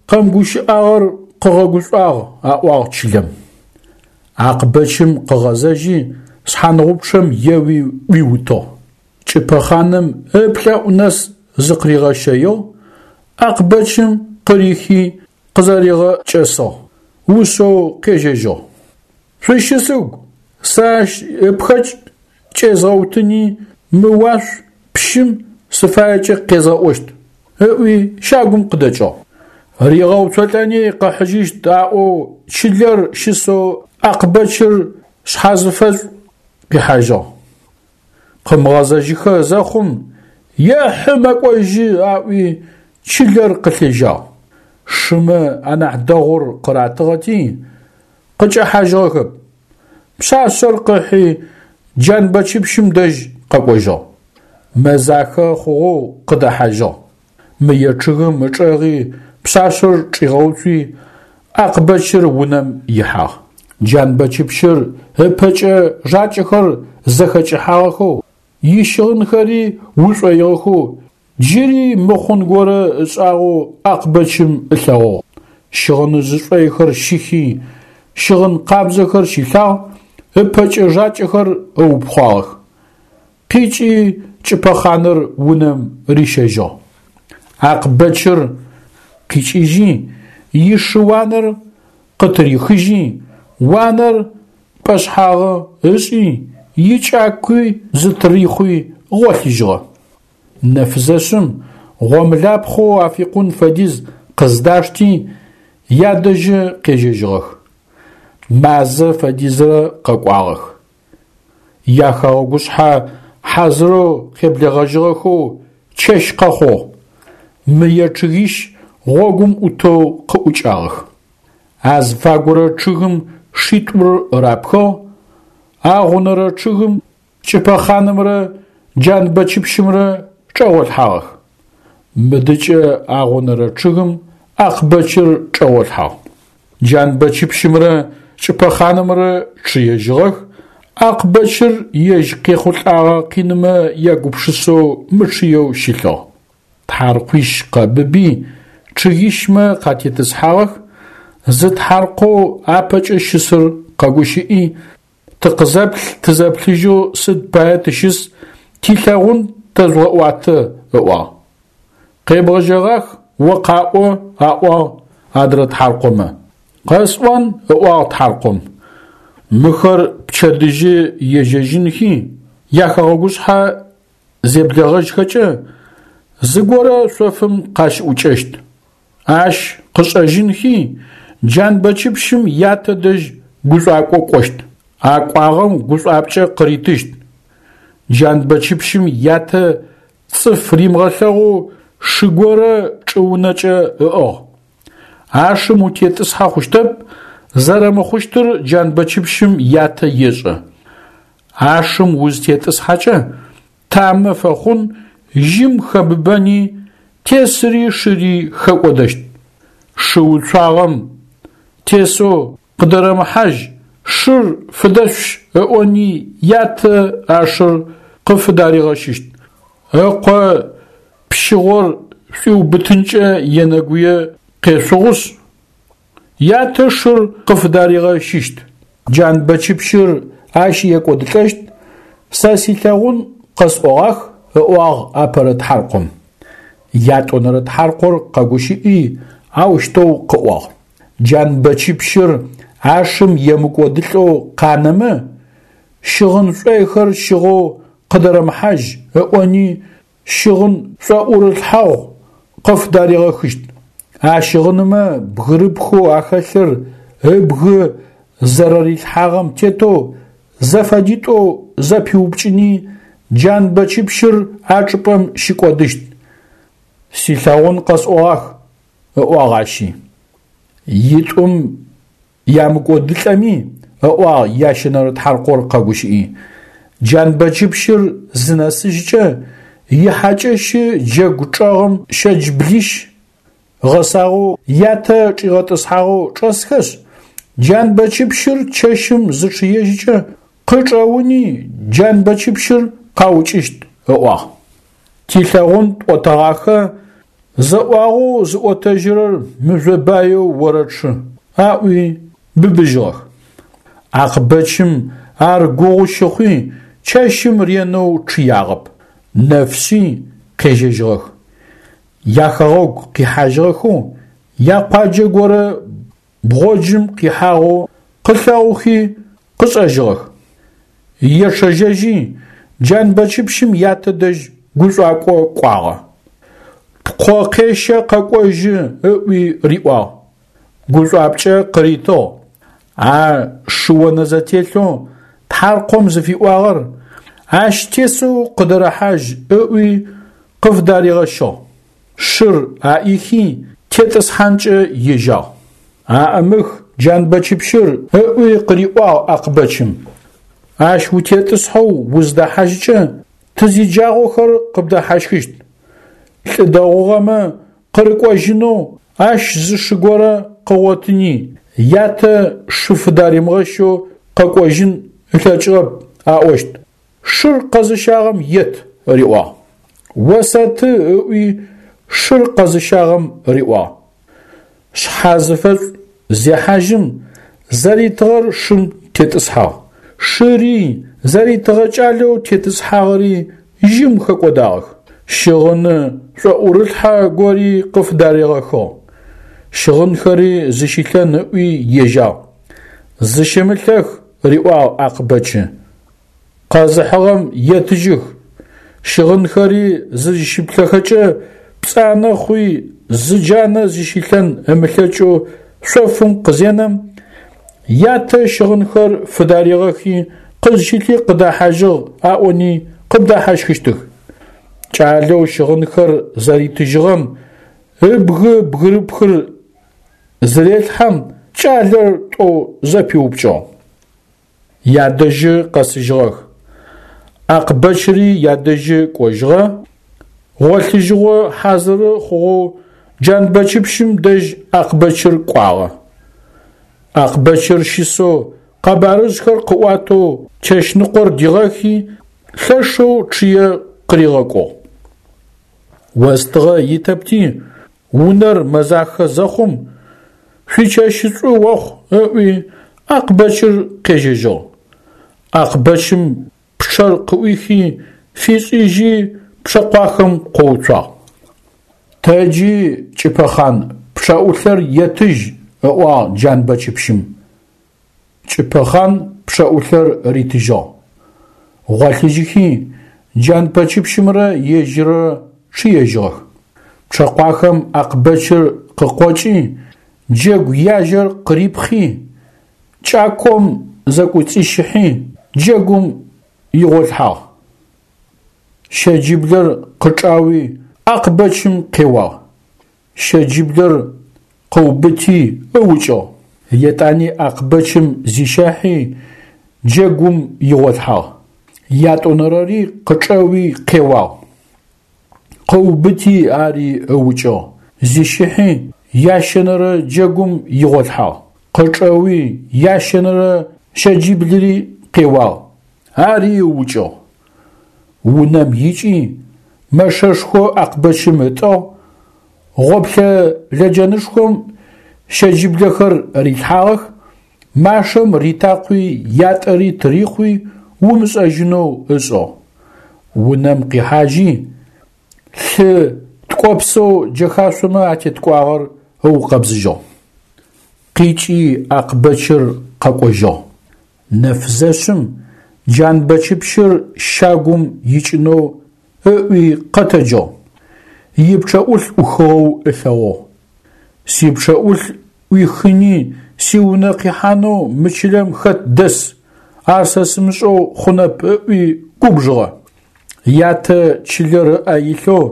къэмыгущыӏагъэр къыгъэгушӏуагъ, аӏуагъ чылэм. Акъбэчым къыгъэзэжьи, шъхьангъупчъэм еуи ӏуиутыгъ. Кӏыпэхъаным ыплӏэӏу нэс зыкъыригъэщэигъ, Акъбэчым къырихи къызэригъэкӏэсыгъ, ушъэу къежьэжьыгъ. Шъущысыгу, сэ ащ ыпхэкӏ кӏезгъэутыни мы уашъу пщым сыфаекӏэ къезгъэӏощт, ыӏуи щагум къыдэкӏыгъ. Ригъэуцолӏэни къыхьыжьыщт аӏоу чылэр щысэу Акъбэчыр шъхьазыфэшӏу къихьажьыгъ. Къымыгъэзэжьыхэ зэхъум, ехьы мэкӏожьы аӏуи чылэр къылъежьагъ. Шымэ анахь дэгъур къыратыгъэти, къыкӏэхьажьыгъэхэп. Пшъашъэр къыхьи Джанбэчыпщым дэжь къэкӏожьыгъ. Мэзахэ хъугъэу къыдэхьажьыгъ. Мые чъыгым ычӏэгъи пшъашъэр чӏигъэуцуи, Акъбэчыр унэм ихьагъ. Джанбэчыпщыр ыпэкӏэ жакӏэхэр зэхэкӏыхьагъэхэу, ищыгъынхэри ушӏоигъэхэу, джыри мыхъун горэ ышӏагъэу Акъбэчым ылъэгъугъ. Щыгъыныжъ шӏойхэр щихи, щыгъын къабзэхэр щилъагъ, ыпэкӏэ жакӏэхэр ыупхъуагъэх. Къикӏи кӏыпэхъаныр унэм рищэжьыгъ. Акъбэчыр къикӏыжьи, ишы уанэр къытырихыжьи, уанэр пӏэшъхьагъы ышӏи, икӏакуи зытырихъуи гъолъыжьыгъэ. Нэфзэщым гъомлапхъэу афикъун фэдиз къыздашти, ядэжьы къежьэжьыгъэх. Мазэ фэдизрэ къэкӏуагъэх. Яхэгъэгушъхьэ хьазырэу къеблэгъэжьыгъэхэу чэщ къэхъугъ. Мые чъыгищ гъогум ӏутэу къыӏукӏагъэх. Азыфагурэ чъыгым шитӏур рапхыгъ, агъунэрэ чъыгым Кӏыпэхъанымрэ Джанбэчыпщымрэ чӏэгъолъхьагъэх. Мыдыкӏэ агъунэрэ чъыгым Акъбэчыр чӏэгъолъхьагъ. Джанбэчыпщымрэ Кӏыпэхъанымрэ чъыежьыгъэх, Акъбэчыр ежь къехъулӏагъэ къинымэ ягупшысэу мычъыеу щылъыгъ. Тхьаркъуищ къэбыби, чъыгищмэ къатетӏысхьагъэх, зы тхьаркъоу апэкӏэ щысыр къэгущыӏи, тыкъызэплъ-тызэплъыжьэу сыд пае тыщыс, тилъэгъун тэжъугъэӏуатэ, ыӏуагъ. Къебгъэжьэгъах, о къаӏо, аӏуагъ адрэ тхьаркъомэ. Къэсӏон, ыӏуагъ тхьаркъом. Мыхэр пчэдыжьы ежьэжьынхи, яхэгъэгушъхьэ зеблэгъэжьхэкӏэ, зыгорэ шъофым къащыӏукӏэщт. Ащ къышӏэжьынхи, Джанбэчыпщым ятэ дэжь гушӏуакӏо кӏощт. А кӏуагъэм гушӏуапкӏэ къыритыщт. Джанбэчыпщым ятэ цӏыф римыгъэлъэгъоу шы горэ чӏыунэкӏэ ыӏыгъ. А шым утетӏысхьэ хъущтэп, зэрэмыхъущтыр Джанбэчыпщым ятэ ешӏэ. А шым узытетӏысхьэкӏэ, тамэ фэхъун, жьым хэбыбэни, тесыри шыри хэкӏодэщт. Шы уцуагъэм тесэу къыдэрэмыхьажь, шыр фыдэшъущ ыӏони ятэ а шыр къыфыдаригъэщыщт. Ыкъо пщыгъор шӏуиубытынкӏэ енэгуе къешъугъушъ, ятэ шыр къыфыдаригъэщыщт. Джанбэчыпщыр ащ екӏодылӏэщт, сэ силъэгъун къэсӏогъах, ыӏуагъ апэрэ тхьаркъом. Ятӏонэрэ тхьаркъор къэгущыӏи, аущтэу къыӏуагъ. Джанбэчыпщыр а шым емыкӏодылӏэу къанэмэ, щыгъын шӏойхэр щыгъэу къыдэрэмыхьажь ыӏони щыгъын шӏоӏурылъхьагъу къыфдаригъэхыщт. А щыгъынымэ бгырыпхэу ахэлъыр ыбгы зэрэрилъхьагъэм тетэу зэфэдитӏоу зэпиупкӏыни Джанбэчыпщыр а чӏыпӏэм щыкӏодыщт. Силъэгъун къэсӏогъах, ыӏуагъ ащи. Итӏум ямыкӏодылӏэми, ыӏуагъ ящэнэрэ тхьаркъор къэгущыӏи. Джанбэчыпщыр зынэсыжькӏэ, ихьакӏэщы джэгу чӏэгъым щэджблищ гъэсагъэу ятэ чӏигъэтӏысхьагъэу чӏэсхэшъ, Джанбэчыпщыр чэщым зычъыежькӏэ къычӏэуни Джанбэчыпщыр къаукӏыщт, ыӏуагъ. Тилъэгъун тӏотэгъахэ, зэӏуагъэу зыӏотэжьырэр мыжъо баеу орэчъы, аӏуи быбыжьыгъэх. Акъбэчым ар гугъу щыхъуи чэщым ренэу чъыягъэп. Нэфшъи къежьэжьыгъэх. Яхэгъэгу къихьажьыгъэхэу якъуаджэ горэ бгъоджым къихьагъэу къылъэгъухи къышӏэжьыгъэх. Ечъэжьэжьи Джанбэчыпщым ятэ дэжь гушӏуакӏо кӏуагъэ. Пкъо къещэ къэкӏожьы ыӏуи риӏуагъ. Гушӏуапкӏэ къыритыгъ. А шы онэзэтелъэу тхьаркъом зыфиӏуагъэр ащ тесэу къыдэрэхьажь ыӏуи къыфдаригъэщыгъ. Шыр аӏихи тетӏысхьанкӏэ ежьагъ. Аӏымых Джанбэчыпщыр ыӏуи къыриӏуагъ Акъбэчым. Ащ утетӏысхьэу уздэхьажькӏэ тызиджагъохэр къыбдэхьащхыщт. Лӏы дэгъугъэмэ къырыкӏожьынэу ащ зы шы горэ къыгъотыни, ятэ шы фыдаримыгъэщэу къэкӏожьын ылъэкӏыгъэп аӏощт. Шыр къэзыщагъэм ет, риӏуагъ. Осэты ыӏуи шыр къэзыщагъэм риӏуагъ. Шъхьэзыфэшӏу зехьажьым зэритыгъэр шым тетӏысхьагъ. Шыри зэритыгъэ кӏалэу тетӏысхьагъэри жьым хэкӏодагъэх. Щыгъыны шӏоӏурылъхьэ гори къыфдаригъэхыгъ. Щыгъынхэри зыщилъэн ыӏуи ежьагъ. Зыщымылъэх, риӏуагъ Акъбэчы. Къэзыхьыгъэм етыжьых. Щыгъынхэри зызщиплъэхэкӏэ пцӏанэ хъуи зы джанэ зыщилъэн ымылъэкӏэу шъофым къызенэм, ятэ щыгъынхэр фыдаригъэхи къызщылъи къыдэхьажьыгъ аӏони къыбдэхьащхыщтых. Кӏалэу щыгъынхэр зэритыжьыгъэм ыбгы бгырыпхыр зырелъхьэм кӏалэр тӏоу зэпиупкӏыгъ. Ядэжьы къэсыжьыгъэх. Акъбэчыри ядэжьы кӏожьыгъэ. Гъолъыжьыгъо хьазыры хъугъэу Джанбэчыпщым дэжь Акъбэчыр кӏуагъэ. Акъбэчыр щысэу къэбарыжъхэр къыӏуатэу чэщныкъор дигъэхи лъэшэу чъые къыригъэкӏугъ. Остыгъэ итэпти унэр мэзахэ зэхъум шъуичэщышӏу охъу ыӏуи Акъбэчыр къежьэжьыгъ. Акъбэчым пчъэр къыӏуихи фишӏыжьи пчъэкъуахэм къоуцуагъ. Тэджи Кӏыпэхъан пчъэӏулъэр етыжь, ыӏуагъ Джанбэчыпщым. Кӏыпэхъан пчъэӏулъэр ритыжьыгъ. Гъолъыжьыхи Джанбэчыпщымрэ ежьыррэ чъыежьыгъэх. Пчъэкъуахэм Акъбэчыр къыкъокӏи джэгу яжьэр къырипхъи, кӏаком зэкӏуцӏищыхьи джэгум игъолъхьагъ. Щэджиблэр къычӏауи Акъбэчым къеуагъ. Щэджиблэр къыубыти ыукӏыгъ. Етӏани Акъбэчым зищэхьи джэгум игъолъхьагъ. Ятӏонэрэри къычӏэуи къеуагъ. Къыубыти ари ыукӏыгъ. Зищыхьи ящэнэрэ джэгум игъолъхьагъ. Къычӏэуи ящэнэрэ щэджиблыри къеуагъ. Ари ыукӏыгъ. Унэм икӏи мэшэшхо Акъбэчым ытӏыгъ, гъоплъэ лэджэнышхом щэджиблэхэр рилъхьагъэх, машэм ритакъуи ятӏэри тырихъуи умышӏэжьынэу ышӏыгъ. Унэм къихьажьи лъы ткӏопсэу джэхашъомэ атеткӏуагъэр ыукъэбзыжьыгъ. Къикӏи Акъбэчыр къэкӏожьыгъ. Нэфзэщым Джанбэчыпщыр щагум икӏынэу ыӏуи къэтэджыгъ. Ипчъэӏулъ ӏухыгъэу ылъэгъугъ. Сипчъэӏулъ ӏуихыни сиунэ къихьанэу мы чылэм хэт дэс, ар сэ сымышӏэу хъунэп ыӏуи губжыгъэ. Ятэ чылэр ыӏэ илъэу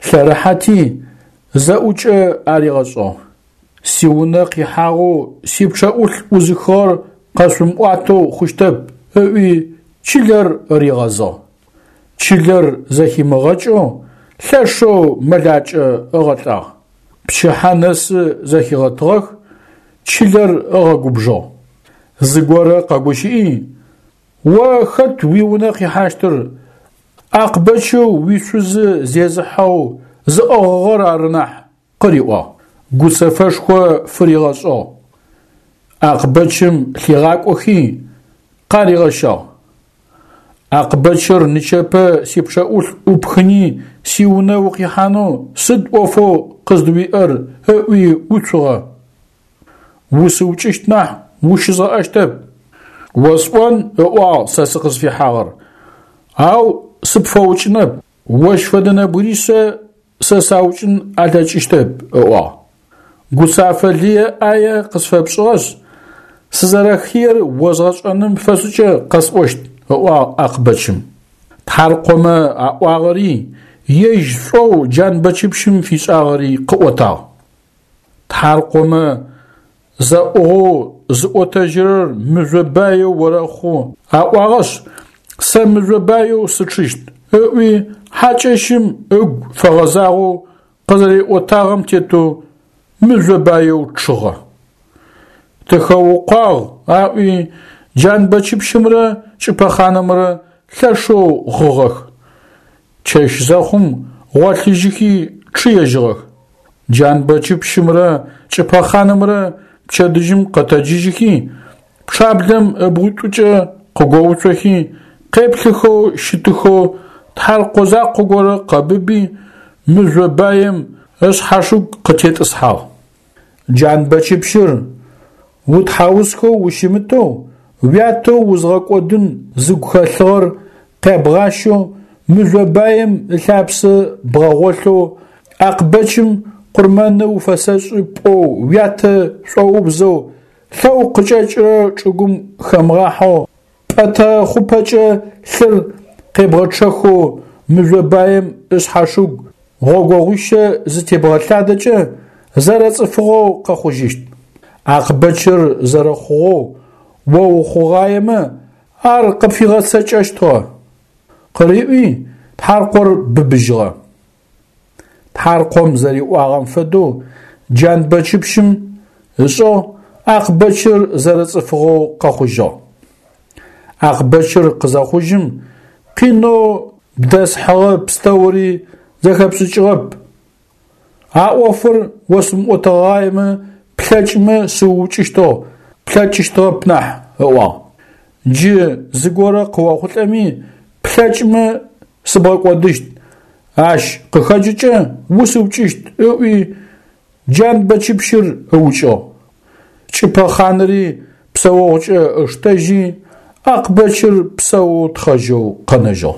лъэрыхьэти зэӏукӏэ аригъэшӏыгъ. Сиунэ къихьагъэу сипчъэӏулъ ӏузыхыгъэр къэшъумыӏуатэу хъущтэп ыӏуи чылэр ригъэзыгъ. Чылэр зэхимыгъэкӏэу лъэшэу мэлакӏэ ыгъэлӏагъ. Пчыхьэ нэсы зэхигъэтыгъэх, чылэр ыгъэгубжыгъ. Зыгорэ къэгущыӏи: «О хэт уиунэ къихьащтыр, Акъбэчэу уишъузы зезыхьэу зыӏыгъыгъэр ары нахь», къыриӏуагъ. Гуцэфэшхо фыригъэшӏыгъ. Акъбэчым лъигъакӏохи, къаригъэщагъ. Акъбэчыр нычэпэ сипчъэӏулъ ӏупхыни сиунэ укъихьанэу сыд ӏофэу къыздыуиӏэр ыӏуи уцугъэ. Усыукӏыщт нахь ущызгъэӏэщтэп. Осӏон, ыӏуагъ сэ сыкъызфихьагъэр, ау сыпфэукӏынэп, ощ фэдэ нэбгыришъэ сэ саукӏын алъэкӏыщтэп, ыӏуагъ. Гуцафэ лые ӏае къысфэпшӏыгъэшъ, сызэрэхыер озгъэшӏэным фэшӏыкӏэ къэсӏощт, ыӏуагъ Акъбэчым. Тхьаркъомэ аӏуагъэри, ежь шӏоу Джанбэчыпщым фишӏагъэри къыӏотагъ. Тхьаркъомэ зэӏугъэу зыӏотэжьырэр мыжъо баеу орэхъу аӏуагъэшъ, сэ мыжъо баеу сычъыщт, ыӏуи хьакӏэщым ыгу фэгъэзагъэу къызэриӏотагъэм тетэу мыжъо баеу чъыгъэ. Тыхэукъуагъ аӏуи Джанбэчыпщымрэ Кӏыпэхъанымрэ лъэшэу гъыгъэх. Чэщ зэхъум гъолъыжьыхи чъыежьыгъэх. Джанбэчыпщымрэ Кӏыпэхъанымрэ пчэдыжьым къэтэджыжьыхи, пчъаблэм ыбгъуитӏукӏэ къыгоуцохи, къеплъыхэу щытыхэу тхьаркъо закъо горэ къэбыби, мыжъо баем ышъхьашыгу къытетӏысхьагъ. Джанбэчыпщыр утхьаусхэу ущымытэу, уятэу узгъэкӏодын зыгу хэлъыгъэр къябгъащэу мыжъо баем ылъапсэ бгъэгъолъэу Акъбэчым къурмэны уфэсэшӏы пӏоу уятэ шӏоубзэу лъэу къыкӏэкӏырэ чӏыгум хэмыгъахьэу пӏэтэ хъупэкӏэ лъыр къебгъэчъэхэу мыжъо баем ышъхьашыгу гъогогъуищэ зытебгъэлъадэкӏэ зэрэцӏыфыгъэу къэхъужьыщт. Акъбэчыр зэрэхъугъэу о ухъугъаемэ ар къыпфигъэцэкӏэщтыгъэ. Къыриӏуи тхьаркъор быбыжьыгъэ. Тхьаркъом зэриӏуагъэм фэдэу Джанбэчыпщым ышӏыгъ, Акъбэчыр зэрэцӏыфыгъэу къэхъужьыгъ. Акъбэчыр къызэхъужьым къинэу бдэсхьыгъэ пстэури зэхэпшӏыкӏыгъэп. А ӏофыр осымыӏотэгъаемэ плъэкӏмэ сыуукӏыщтыгъ, плъэкӏыщтыгъэп нахь, ыӏуагъ. Джы зыгорэ къыохъулӏэми плъэкӏмэ сыбгъэкӏодыщт, ащ къыхэкӏыкӏэ усыукӏыщт, ыӏуи Джанбэчыпщыр ыукӏыгъ. Кӏыпэхъаныри псэогъукӏэ ыштэжьи, Акъбэчыр псэоу тхъэжьэу къэнэжьыгъ.